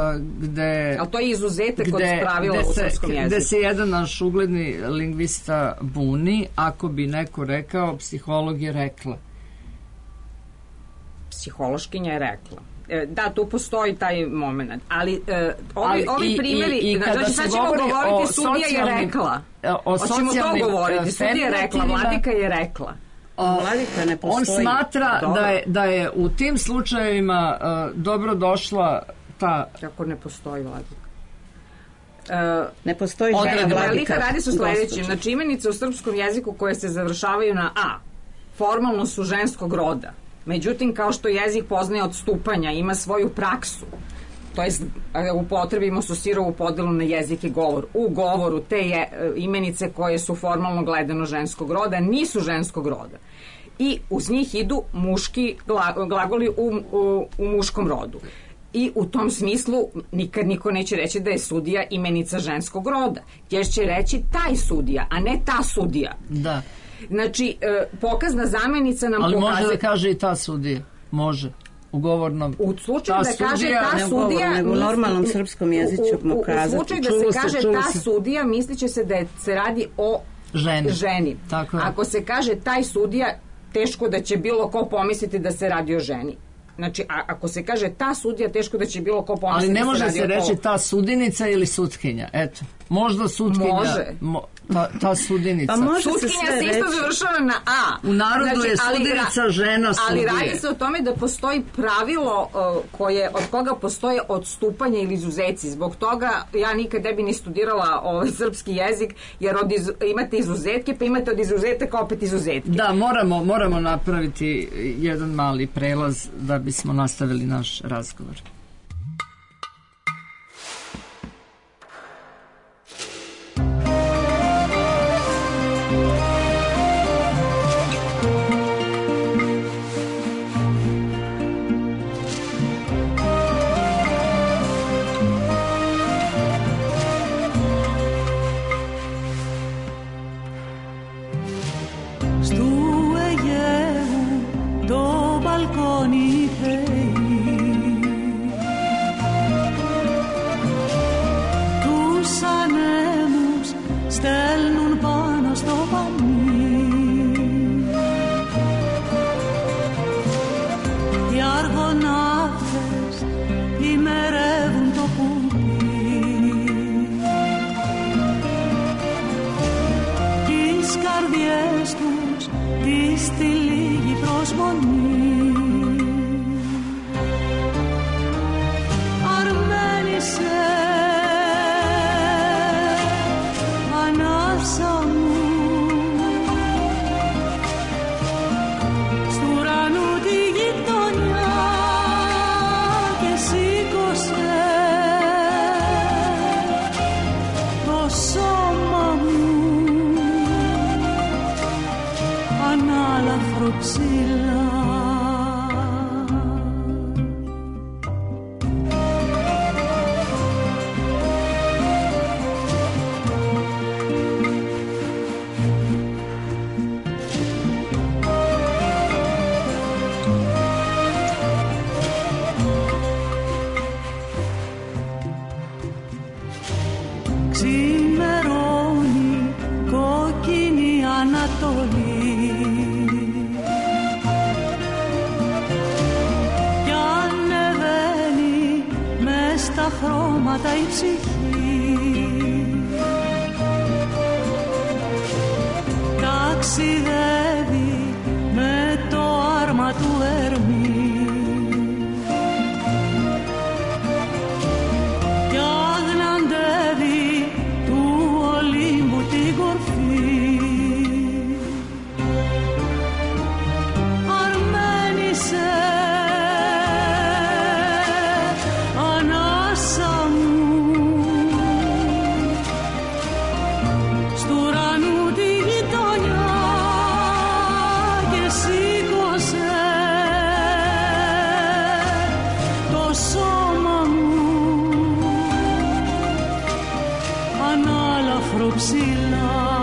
Speaker 3: gde...
Speaker 4: Ali to je izuzetak
Speaker 3: gde,
Speaker 4: od pravila
Speaker 3: gde
Speaker 4: u
Speaker 3: se,
Speaker 4: srpskom jeziku.
Speaker 3: Gde se jedan naš ugledni lingvista buni ako bi neko rekao psiholog je rekla.
Speaker 4: Psihološkinja je rekla. Da, tu postoji taj moment. Ali, e, ovi,
Speaker 3: Ali
Speaker 4: ovi
Speaker 3: i,
Speaker 4: primjeri,
Speaker 3: i, i
Speaker 4: znači sad ćemo govoriti sudija je rekla.
Speaker 3: O
Speaker 4: Hoćemo to govoriti, sudija je rekla, vladika je rekla.
Speaker 5: Vladika ne postoji.
Speaker 3: On smatra da je, da je u tim slučajevima uh, dobro došla ta...
Speaker 4: Kako ne postoji vladika? Uh,
Speaker 5: ne postoji žena vladika.
Speaker 4: Radi su sledeći. Znači, imenice u srpskom jeziku koje se završavaju na a, formalno su ženskog roda. Međutim, kao što jezik poznaje odstupanja, ima svoju praksu, to jest upotrebimo su sirovu podelu na jezik i govor. U govoru te je, imenice koje su formalno gledano ženskog roda nisu ženskog roda. I uz njih idu muški glagoli u, u, u muškom rodu. I u tom smislu nikad niko neće reći da je sudija imenica ženskog roda. Jer će reći taj sudija, a ne ta sudija.
Speaker 3: Da.
Speaker 4: Znači, pokazna zamenica nam
Speaker 3: ali
Speaker 4: pokazuje...
Speaker 3: može da kaže i ta sudija. Može. U govornom.
Speaker 4: U slučaju da kaže ta sudija...
Speaker 5: Nego u normalnom srpskom jeziku mu kazati.
Speaker 4: U slučaju da se kaže ta sudija, misliće se da se radi o
Speaker 3: ženi.
Speaker 4: ženi.
Speaker 3: Tako je.
Speaker 4: Ako se kaže taj sudija, teško da će bilo ko pomisliti da se radi o ženi. Znači, a, ako se kaže ta sudija, teško da će bilo ko pomisliti da se radi o...
Speaker 3: Ali ne može se reći ta sudinica ili sutkinja. Eto. Možda sutkinja...
Speaker 4: Može.
Speaker 3: Mo, ta, ta sudinica.
Speaker 5: Pa može
Speaker 4: sutkinja
Speaker 5: se,
Speaker 4: se isto završava na a.
Speaker 3: U narodu
Speaker 4: znači,
Speaker 3: je sudinica
Speaker 4: ali,
Speaker 3: žena sudije.
Speaker 4: Ali radi se o tome da postoji pravilo uh, koje, od koga postoje odstupanja ili izuzeci. Zbog toga ja nikad ne bi ni studirala ovaj srpski jezik, jer od iz, imate izuzetke, pa imate od izuzetaka opet izuzetke.
Speaker 3: Da, moramo, moramo napraviti jedan mali prelaz da bismo nastavili naš razgovor.
Speaker 8: Στου ουρανού τη ανάλαφρο ψηλά.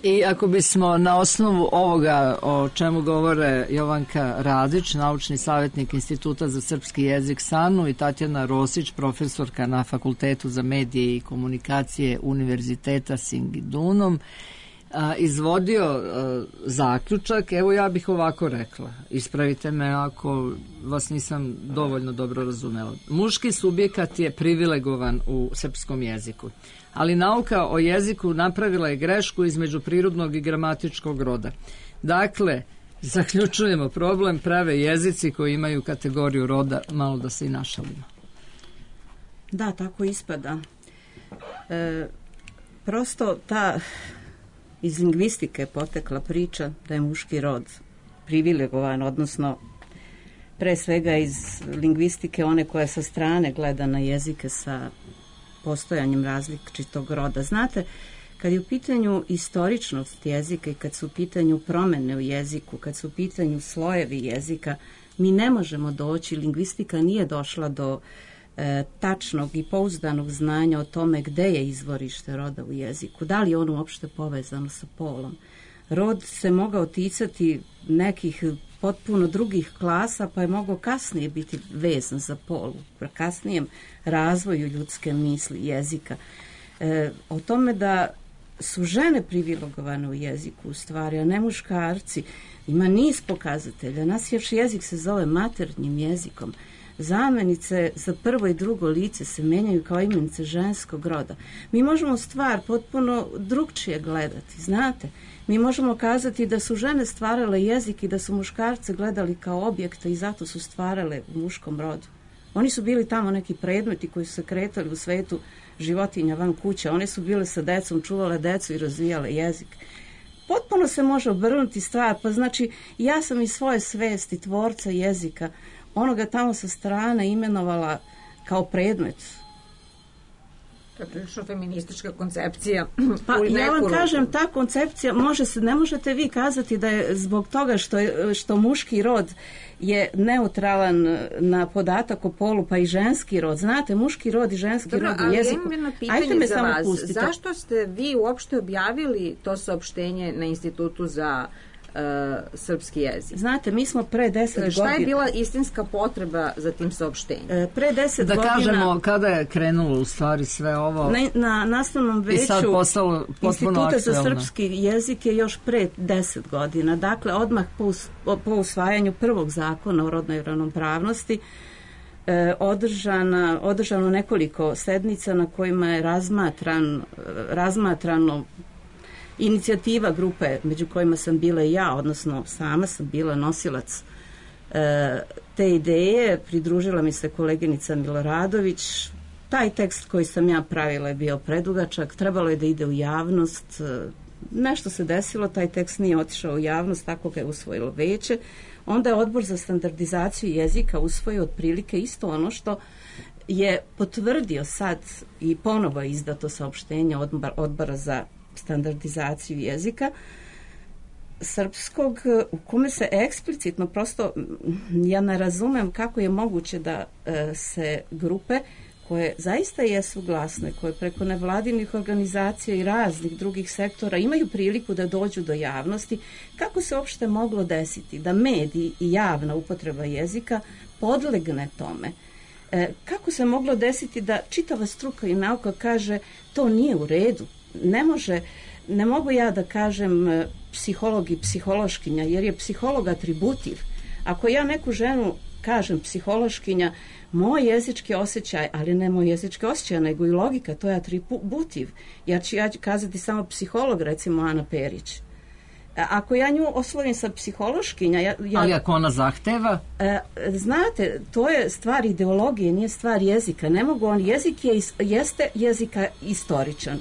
Speaker 3: I ako bismo na osnovu ovoga o čemu govore Jovanka Radić, naučni savjetnik Instituta za srpski jezik SANU, i Tatjana Rosić, profesorka na Fakultetu za medije i komunikacije Univerziteta Singidunum, a, izvodio a, zaključak, evo ja bih ovako rekla, ispravite me ako vas nisam dovoljno dobro razumela. Muški subjekat je privilegovan u srpskom jeziku, ali nauka o jeziku napravila je grešku između prirodnog i gramatičkog roda. Dakle, zaključujemo, problem prave jezici koji imaju kategoriju roda, malo da se i našalimo.
Speaker 5: Da, tako ispada. E, prosto ta iz lingvistike potekla priča da je muški rod privilegovan, odnosno pre svega iz lingvistike one koja sa strane gleda na jezike sa postojanjem različitog roda. Znate, kad je u pitanju istoričnost jezika i kad su u pitanju promene u jeziku, kad su u pitanju slojevi jezika, mi ne možemo doći, lingvistika nije došla do e, tačnog i pouzdanog znanja o tome gde je izvorište roda u jeziku, da li je ono uopšte povezano sa polom. Rod se mogao ticati nekih potpuno drugih klasa, pa je mogao kasnije biti vezan za pol, u kasnijem razvoju ljudske misli, jezika. E, o tome da su žene privilegovane u jeziku u stvari, a ne muškarci, ima niz pokazatelja. Naš jezik se zove maternjim jezikom. Zamenice za prvo i drugo lice se menjaju kao imenice ženskog roda. Mi možemo stvar potpuno drugčije gledati, znate. Mi možemo kazati da su žene stvarale jezik i da su muškarce gledali kao objekte i zato su stvarale u muškom rodu. Oni su bili tamo neki predmeti koji su se kretali u svetu životinja van kuće. One su bile sa decom, čuvale decu i razvijale jezik. Potpuno se može obrnuti stvar, pa znači ja sam iz svoje svesti tvorca jezika onoga tamo sa strane imenovala kao predmet.
Speaker 4: To je prilično feministička koncepcija.
Speaker 5: Pa ja vam kažem, ta koncepcija može se, ne možete vi kazati da je zbog toga što, je, što muški rod je neutralan na podatak o polu, pa i ženski rod. Znate, muški rod i ženski
Speaker 4: Dobro,
Speaker 5: rod u jeziku.
Speaker 4: Ali imam jedno pitanje za vas. Pustite. Zašto ste vi uopšte objavili to saopštenje na Institutu za Uh, srpski jezik?
Speaker 5: Znate, mi smo pre deset godina...
Speaker 4: Šta je bila istinska potreba za tim saopštenjem?
Speaker 5: E, pre deset
Speaker 3: da
Speaker 5: godina...
Speaker 3: Da kažemo kada je krenulo u stvari sve ovo...
Speaker 5: Na, na nastavnom veću Instituta za srpski jezik je još pre deset godina. Dakle, odmah po, us, po usvajanju prvog zakona o rodnoj ravnopravnosti e, održana, održano nekoliko sednica na kojima je razmatran, razmatrano inicijativa grupe među kojima sam bila i ja, odnosno sama sam bila nosilac e, te ideje, pridružila mi se koleginica Miloradović. Taj tekst koji sam ja pravila je bio predugačak, trebalo je da ide u javnost, nešto se desilo, taj tekst nije otišao u javnost, tako ga je usvojilo veće. Onda je Odbor za standardizaciju jezika usvojio otprilike isto ono što je potvrdio sad i ponovo izdato saopštenje odbora za standardizaciju jezika. srpskog u kome se eksplicitno, prosto ja ne razumem kako je moguće da e, se grupe koje zaista jesu glasne, koje preko nevladinih organizacija i raznih drugih sektora imaju priliku da dođu do javnosti, kako se uopšte moglo desiti da mediji i javna upotreba jezika podlegne tome. E, kako se moglo desiti da čitava struka i nauka kaže to nije u redu, ne može, ne mogu ja da kažem psiholog i psihološkinja, jer je psiholog atributiv. Ako ja neku ženu kažem psihološkinja, moj jezički osjećaj, ali ne moj jezički osjećaj, nego i logika, to je atributiv. Ja ću, ja ću kazati samo psiholog, recimo Ana Perić. Ako ja nju oslovim sa psihološkinja... Ja, ja,
Speaker 3: ali ako ona zahteva?
Speaker 5: E, znate, to je stvar ideologije, nije stvar jezika. Ne mogu on, jezik je, jeste jezika istoričan.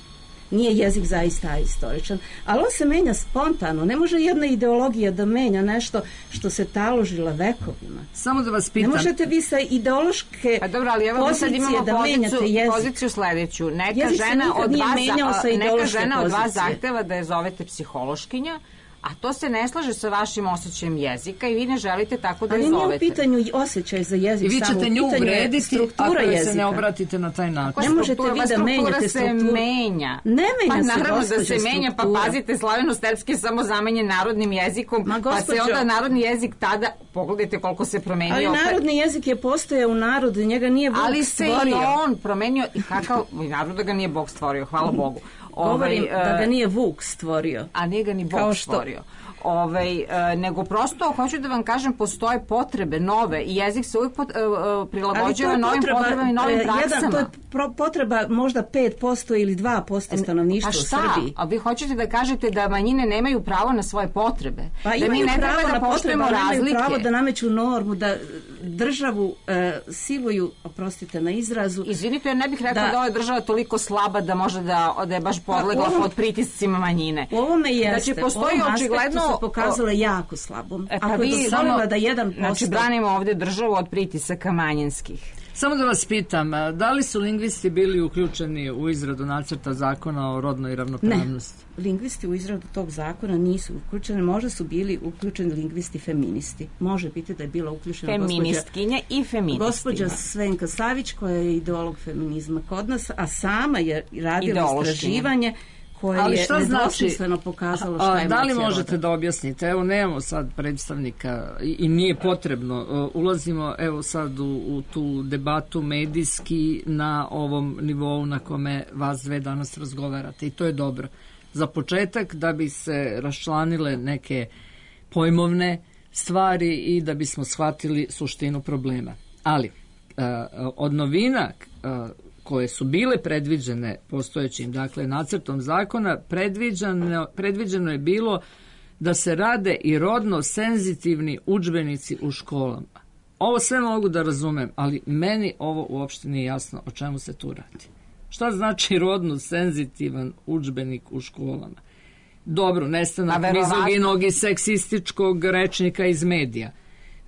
Speaker 5: Nije jezik zaista istoričan, ali on se menja spontano. Ne može jedna ideologija da menja nešto što se taložila vekovima.
Speaker 3: Samo da vas pitam.
Speaker 5: Ne možete vi sa ideološke
Speaker 4: pa dobro, ali evo
Speaker 5: pozicije
Speaker 4: sad imamo
Speaker 5: da
Speaker 4: poziciju,
Speaker 5: menjate jezik.
Speaker 4: poziciju sledeću. Neka
Speaker 5: jezik
Speaker 4: žena od vas, neka žena od vas
Speaker 5: pozicije.
Speaker 4: zahteva da je zovete psihološkinja, a to se ne slaže sa vašim osjećajem jezika i vi ne želite tako da je zovete.
Speaker 5: Ali nije u pitanju osjećaj za jezik.
Speaker 3: I vi ćete nju uvrediti ako se ne obratite na taj način.
Speaker 5: Ne možete vi da menjate strukturu.
Speaker 4: Se menja.
Speaker 5: Ne menja
Speaker 4: pa
Speaker 5: se,
Speaker 4: naravno da se
Speaker 5: struktura.
Speaker 4: menja, pa pazite, slaveno-serbski je samo zamenjen narodnim jezikom,
Speaker 5: Ma,
Speaker 4: pa se onda narodni jezik tada, pogledajte koliko se promenio.
Speaker 5: Ali
Speaker 4: opet.
Speaker 5: Narodni jezik je postojao u narodu, njega nije Bog
Speaker 4: ali
Speaker 5: stvorio.
Speaker 4: Ali se i on promenio, i kakav, i naravno da ga nije Bog stvorio, hvala Bogu.
Speaker 5: Govorim
Speaker 4: ovaj,
Speaker 5: da ga nije Vuk stvorio.
Speaker 4: A nije ga ni Bog stvorio. Ovaj, e, nego prosto, hoću da vam kažem, postoje potrebe nove i jezik se uvijek pot, e, prilagođava novim potreba, potrebama i novim e, praksama.
Speaker 5: Jedan, to je pro, potreba možda pet posto ili dva posto stanovništva
Speaker 4: u
Speaker 5: Srbiji.
Speaker 4: A vi hoćete da kažete da manjine nemaju pravo na svoje potrebe?
Speaker 5: Pa
Speaker 4: da mi ne
Speaker 5: pravo
Speaker 4: treba da poštujemo razlike?
Speaker 5: Imaju pravo da nameću normu, da državu e, siluju, oprostite na izrazu.
Speaker 4: Izvinite, ja ne bih rekla da, da ova država toliko slaba da može da, da je baš podlegla pa, ovom, pod pritiscima manjine.
Speaker 5: U ovome jeste.
Speaker 4: Znači, postoji očigledno
Speaker 5: se pokazala jako slabom.
Speaker 4: E, pa
Speaker 5: ako je dozvolila da jedan posto...
Speaker 4: Znači, branimo ovdje državu od pritisaka manjinskih.
Speaker 3: Samo da vas pitam, da li su lingvisti bili uključeni u izradu nacrta zakona o rodnoj ravnopravnosti?
Speaker 5: Ne, lingvisti u izradu tog zakona nisu uključeni, možda su bili uključeni lingvisti feministi. Može biti da je bila uključena
Speaker 4: feministkinja gospođa, i feministima.
Speaker 5: Gospođa Svenka Savić, koja je ideolog feminizma kod nas, a sama je radila istraživanje koje
Speaker 3: ali
Speaker 5: je nedvosmisleno znači, pokazalo šta je
Speaker 3: da li možete da objasnite? Evo, nemamo sad predstavnika i, i nije potrebno. Ulazimo evo sad u, u tu debatu medijski na ovom nivou na kome vas dve danas razgovarate i to je dobro. Za početak da bi se raščlanile neke pojmovne stvari i da bismo shvatili suštinu problema. Ali od novina koje su bile predviđene postojećim, dakle, nacrtom zakona, predviđeno, predviđeno je bilo da se rade i rodno senzitivni udžbenici u školama. Ovo sve mogu da razumem, ali meni ovo uopšte nije jasno o čemu se tu radi. Šta znači rodno senzitivan udžbenik u školama? Dobro, nestanak mizoginog i seksističkog rečnika iz medija.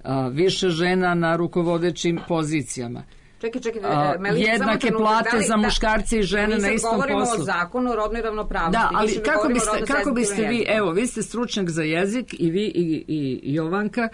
Speaker 3: A, više žena na rukovodećim pozicijama.
Speaker 4: Čekaj, čekaj,
Speaker 3: Meli, jednake plate da li, za muškarce i žene na istom poslu.
Speaker 4: Mi govorimo o zakonu o rodnoj ravnopravnosti.
Speaker 3: Da, ali kako biste, kako biste vi, evo, vi ste stručnjak za jezik i vi i, i Jovanka,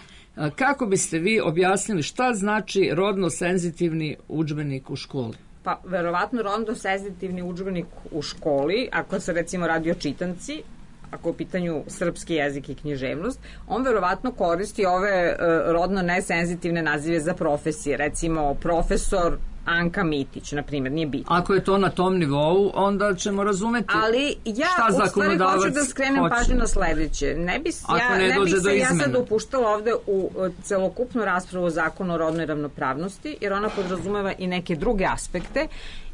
Speaker 3: kako biste vi objasnili šta znači rodno senzitivni udžbenik u školi?
Speaker 4: Pa, verovatno rodno senzitivni udžbenik u školi, ako se recimo radi o čitanci, ako je u pitanju srpski jezik i književnost, on verovatno koristi ove uh, rodno nesenzitivne nazive za profesije. Recimo, profesor Anka Mitić, na primjer, nije bitno.
Speaker 3: Ako je to na tom nivou, onda ćemo razumeti
Speaker 4: ali ja
Speaker 3: šta
Speaker 4: u stvari hoću da skrenem
Speaker 3: hoće.
Speaker 4: pažnju na sledeće. Ne bi, ja,
Speaker 3: ne
Speaker 4: ne bih se
Speaker 3: ja
Speaker 4: sad upuštala ovde u celokupnu raspravu o zakonu o rodnoj ravnopravnosti, jer ona podrazumeva i neke druge aspekte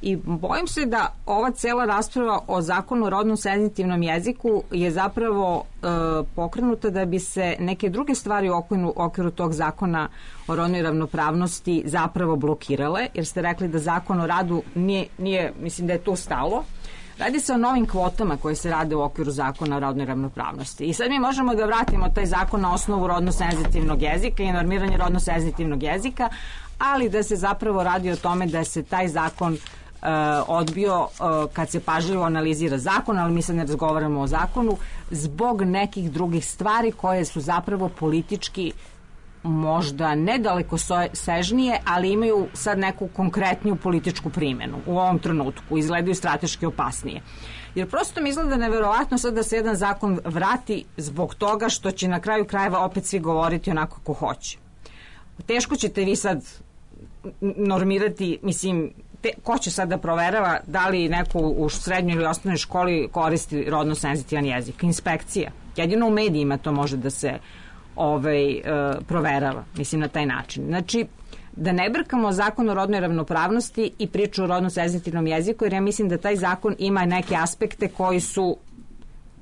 Speaker 4: i bojim se da ova cela rasprava o zakonu o rodnom senzitivnom jeziku je zapravo e, pokrenuta da bi se neke druge stvari u okviru, okviru tog zakona o rodnoj ravnopravnosti zapravo blokirale, jer ste rekli da zakon o radu nije, nije, mislim da je to stalo. Radi se o novim kvotama koje se rade u okviru zakona o rodnoj ravnopravnosti. I sad mi možemo da vratimo taj zakon na osnovu rodno-senzitivnog jezika i normiranje rodno-senzitivnog jezika, ali da se zapravo radi o tome da se taj zakon odbio uh, kad se pažljivo analizira zakon, ali mi sad ne razgovaramo o zakonu, zbog nekih drugih stvari koje su zapravo politički možda nedaleko sežnije, ali imaju sad neku konkretniju političku primjenu u ovom trenutku, izgledaju strateški opasnije. Jer prosto mi izgleda neverovatno sad da se jedan zakon vrati zbog toga što će na kraju krajeva opet svi govoriti onako kako hoće. Teško ćete vi sad normirati, mislim, te, ko će sad da proverava da li neko u srednjoj ili osnovnoj školi koristi rodno senzitivan jezik? Inspekcija. Jedino u medijima to može da se ovaj, e, proverava, mislim, na taj način. Znači, da ne brkamo zakon o rodnoj ravnopravnosti i priču o rodno senzitivnom jeziku, jer ja mislim da taj zakon ima neke aspekte koji su,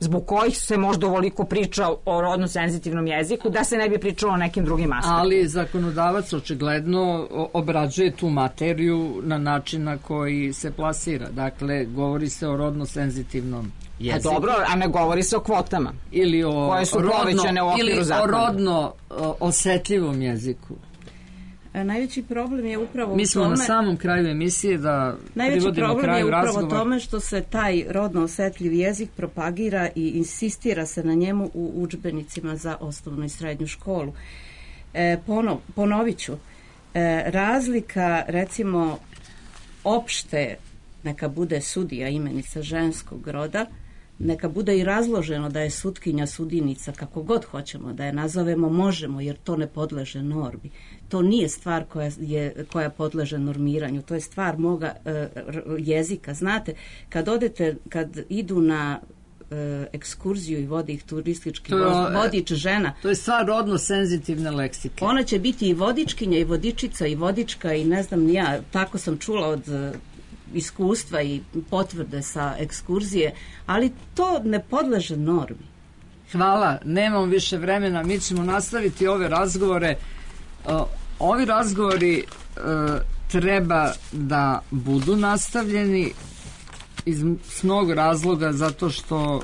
Speaker 4: zbog kojih se možda ovoliko priča o rodno senzitivnom jeziku, da se ne bi pričalo o nekim drugim aspektima.
Speaker 3: Ali zakonodavac očigledno obrađuje tu materiju na način na koji se plasira. Dakle, govori se o rodno senzitivnom jeziku.
Speaker 4: A dobro, a ne govori se o kvotama.
Speaker 3: Ili o
Speaker 4: koje su povećane u okviru zakona.
Speaker 3: Ili o rodno osetljivom jeziku.
Speaker 5: Najveći problem je upravo
Speaker 3: Mi smo
Speaker 5: u tome,
Speaker 3: na samom kraju emisije da
Speaker 5: najveći problem
Speaker 3: kraju
Speaker 5: je upravo
Speaker 3: razgovor.
Speaker 5: tome što se taj rodno osetljiv jezik propagira i insistira se na njemu u udžbenicima za osnovnu i srednju školu. E, ponov, ponovit ću, e, razlika recimo opšte, neka bude sudija imenica ženskog roda, neka bude i razloženo da je sutkinja sudinica, kako god hoćemo da je nazovemo, možemo, jer to ne podleže normi. To nije stvar koja, je, koja podleže normiranju, to je stvar moga e, jezika. Znate, kad odete, kad idu na e, ekskurziju i vodi ih turistički
Speaker 3: je,
Speaker 5: vodič žena.
Speaker 3: To je stvar rodno senzitivne leksike.
Speaker 5: Ona će biti i vodičkinja, i vodičica, i vodička, i ne znam ni ja, tako sam čula od iskustva i potvrde sa ekskurzije, ali to ne podleže normi.
Speaker 3: Hvala, nemam više vremena, mi ćemo nastaviti ove razgovore. Uh, ovi razgovori uh, treba da budu nastavljeni iz mnogo razloga, zato što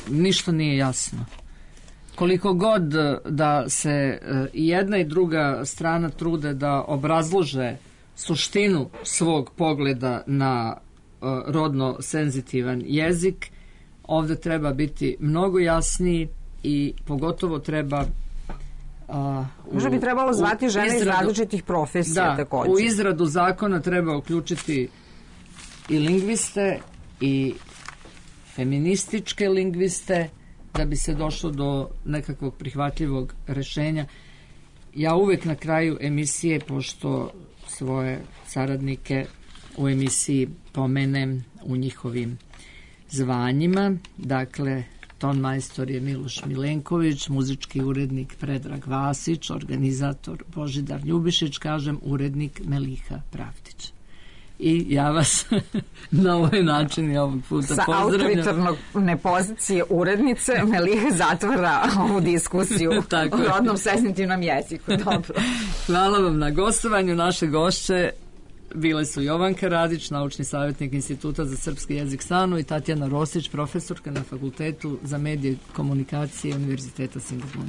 Speaker 3: ništa nije jasno. Koliko god da se uh, i jedna i druga strana trude da obrazlože suštinu svog pogleda na uh, rodno senzitivan jezik, ovdje treba biti mnogo jasniji i pogotovo treba uh,
Speaker 4: možda bi trebalo zvati žene izradu, iz različitih profesija
Speaker 3: da,
Speaker 4: također.
Speaker 3: U izradu zakona treba uključiti i lingviste i feminističke lingviste da bi se došlo do nekakvog prihvatljivog rešenja. Ja uvek na kraju emisije, pošto svoje saradnike u emisiji pomenem u njihovim zvanjima, dakle ton majstor je Miloš Milenković, muzički urednik Predrag Vasić, organizator Božidar Ljubišić, kažem urednik Meliha Pravdić. I ja vas na ovaj način i ovog puta
Speaker 4: sa
Speaker 3: pozdravljam.
Speaker 4: Sa autoritarne pozicije urednice Meliha zatvara ovu diskusiju o rodnom senzitivnom jeziku. Dobro.
Speaker 3: Hvala vam na gostovanju. Naše gošće bile su Jovanka Radić, naučni savjetnik Instituta za srpski jezik SANU, i Tatjana Rosić, profesorka na Fakultetu za medije i komunikacije Univerziteta Singapura.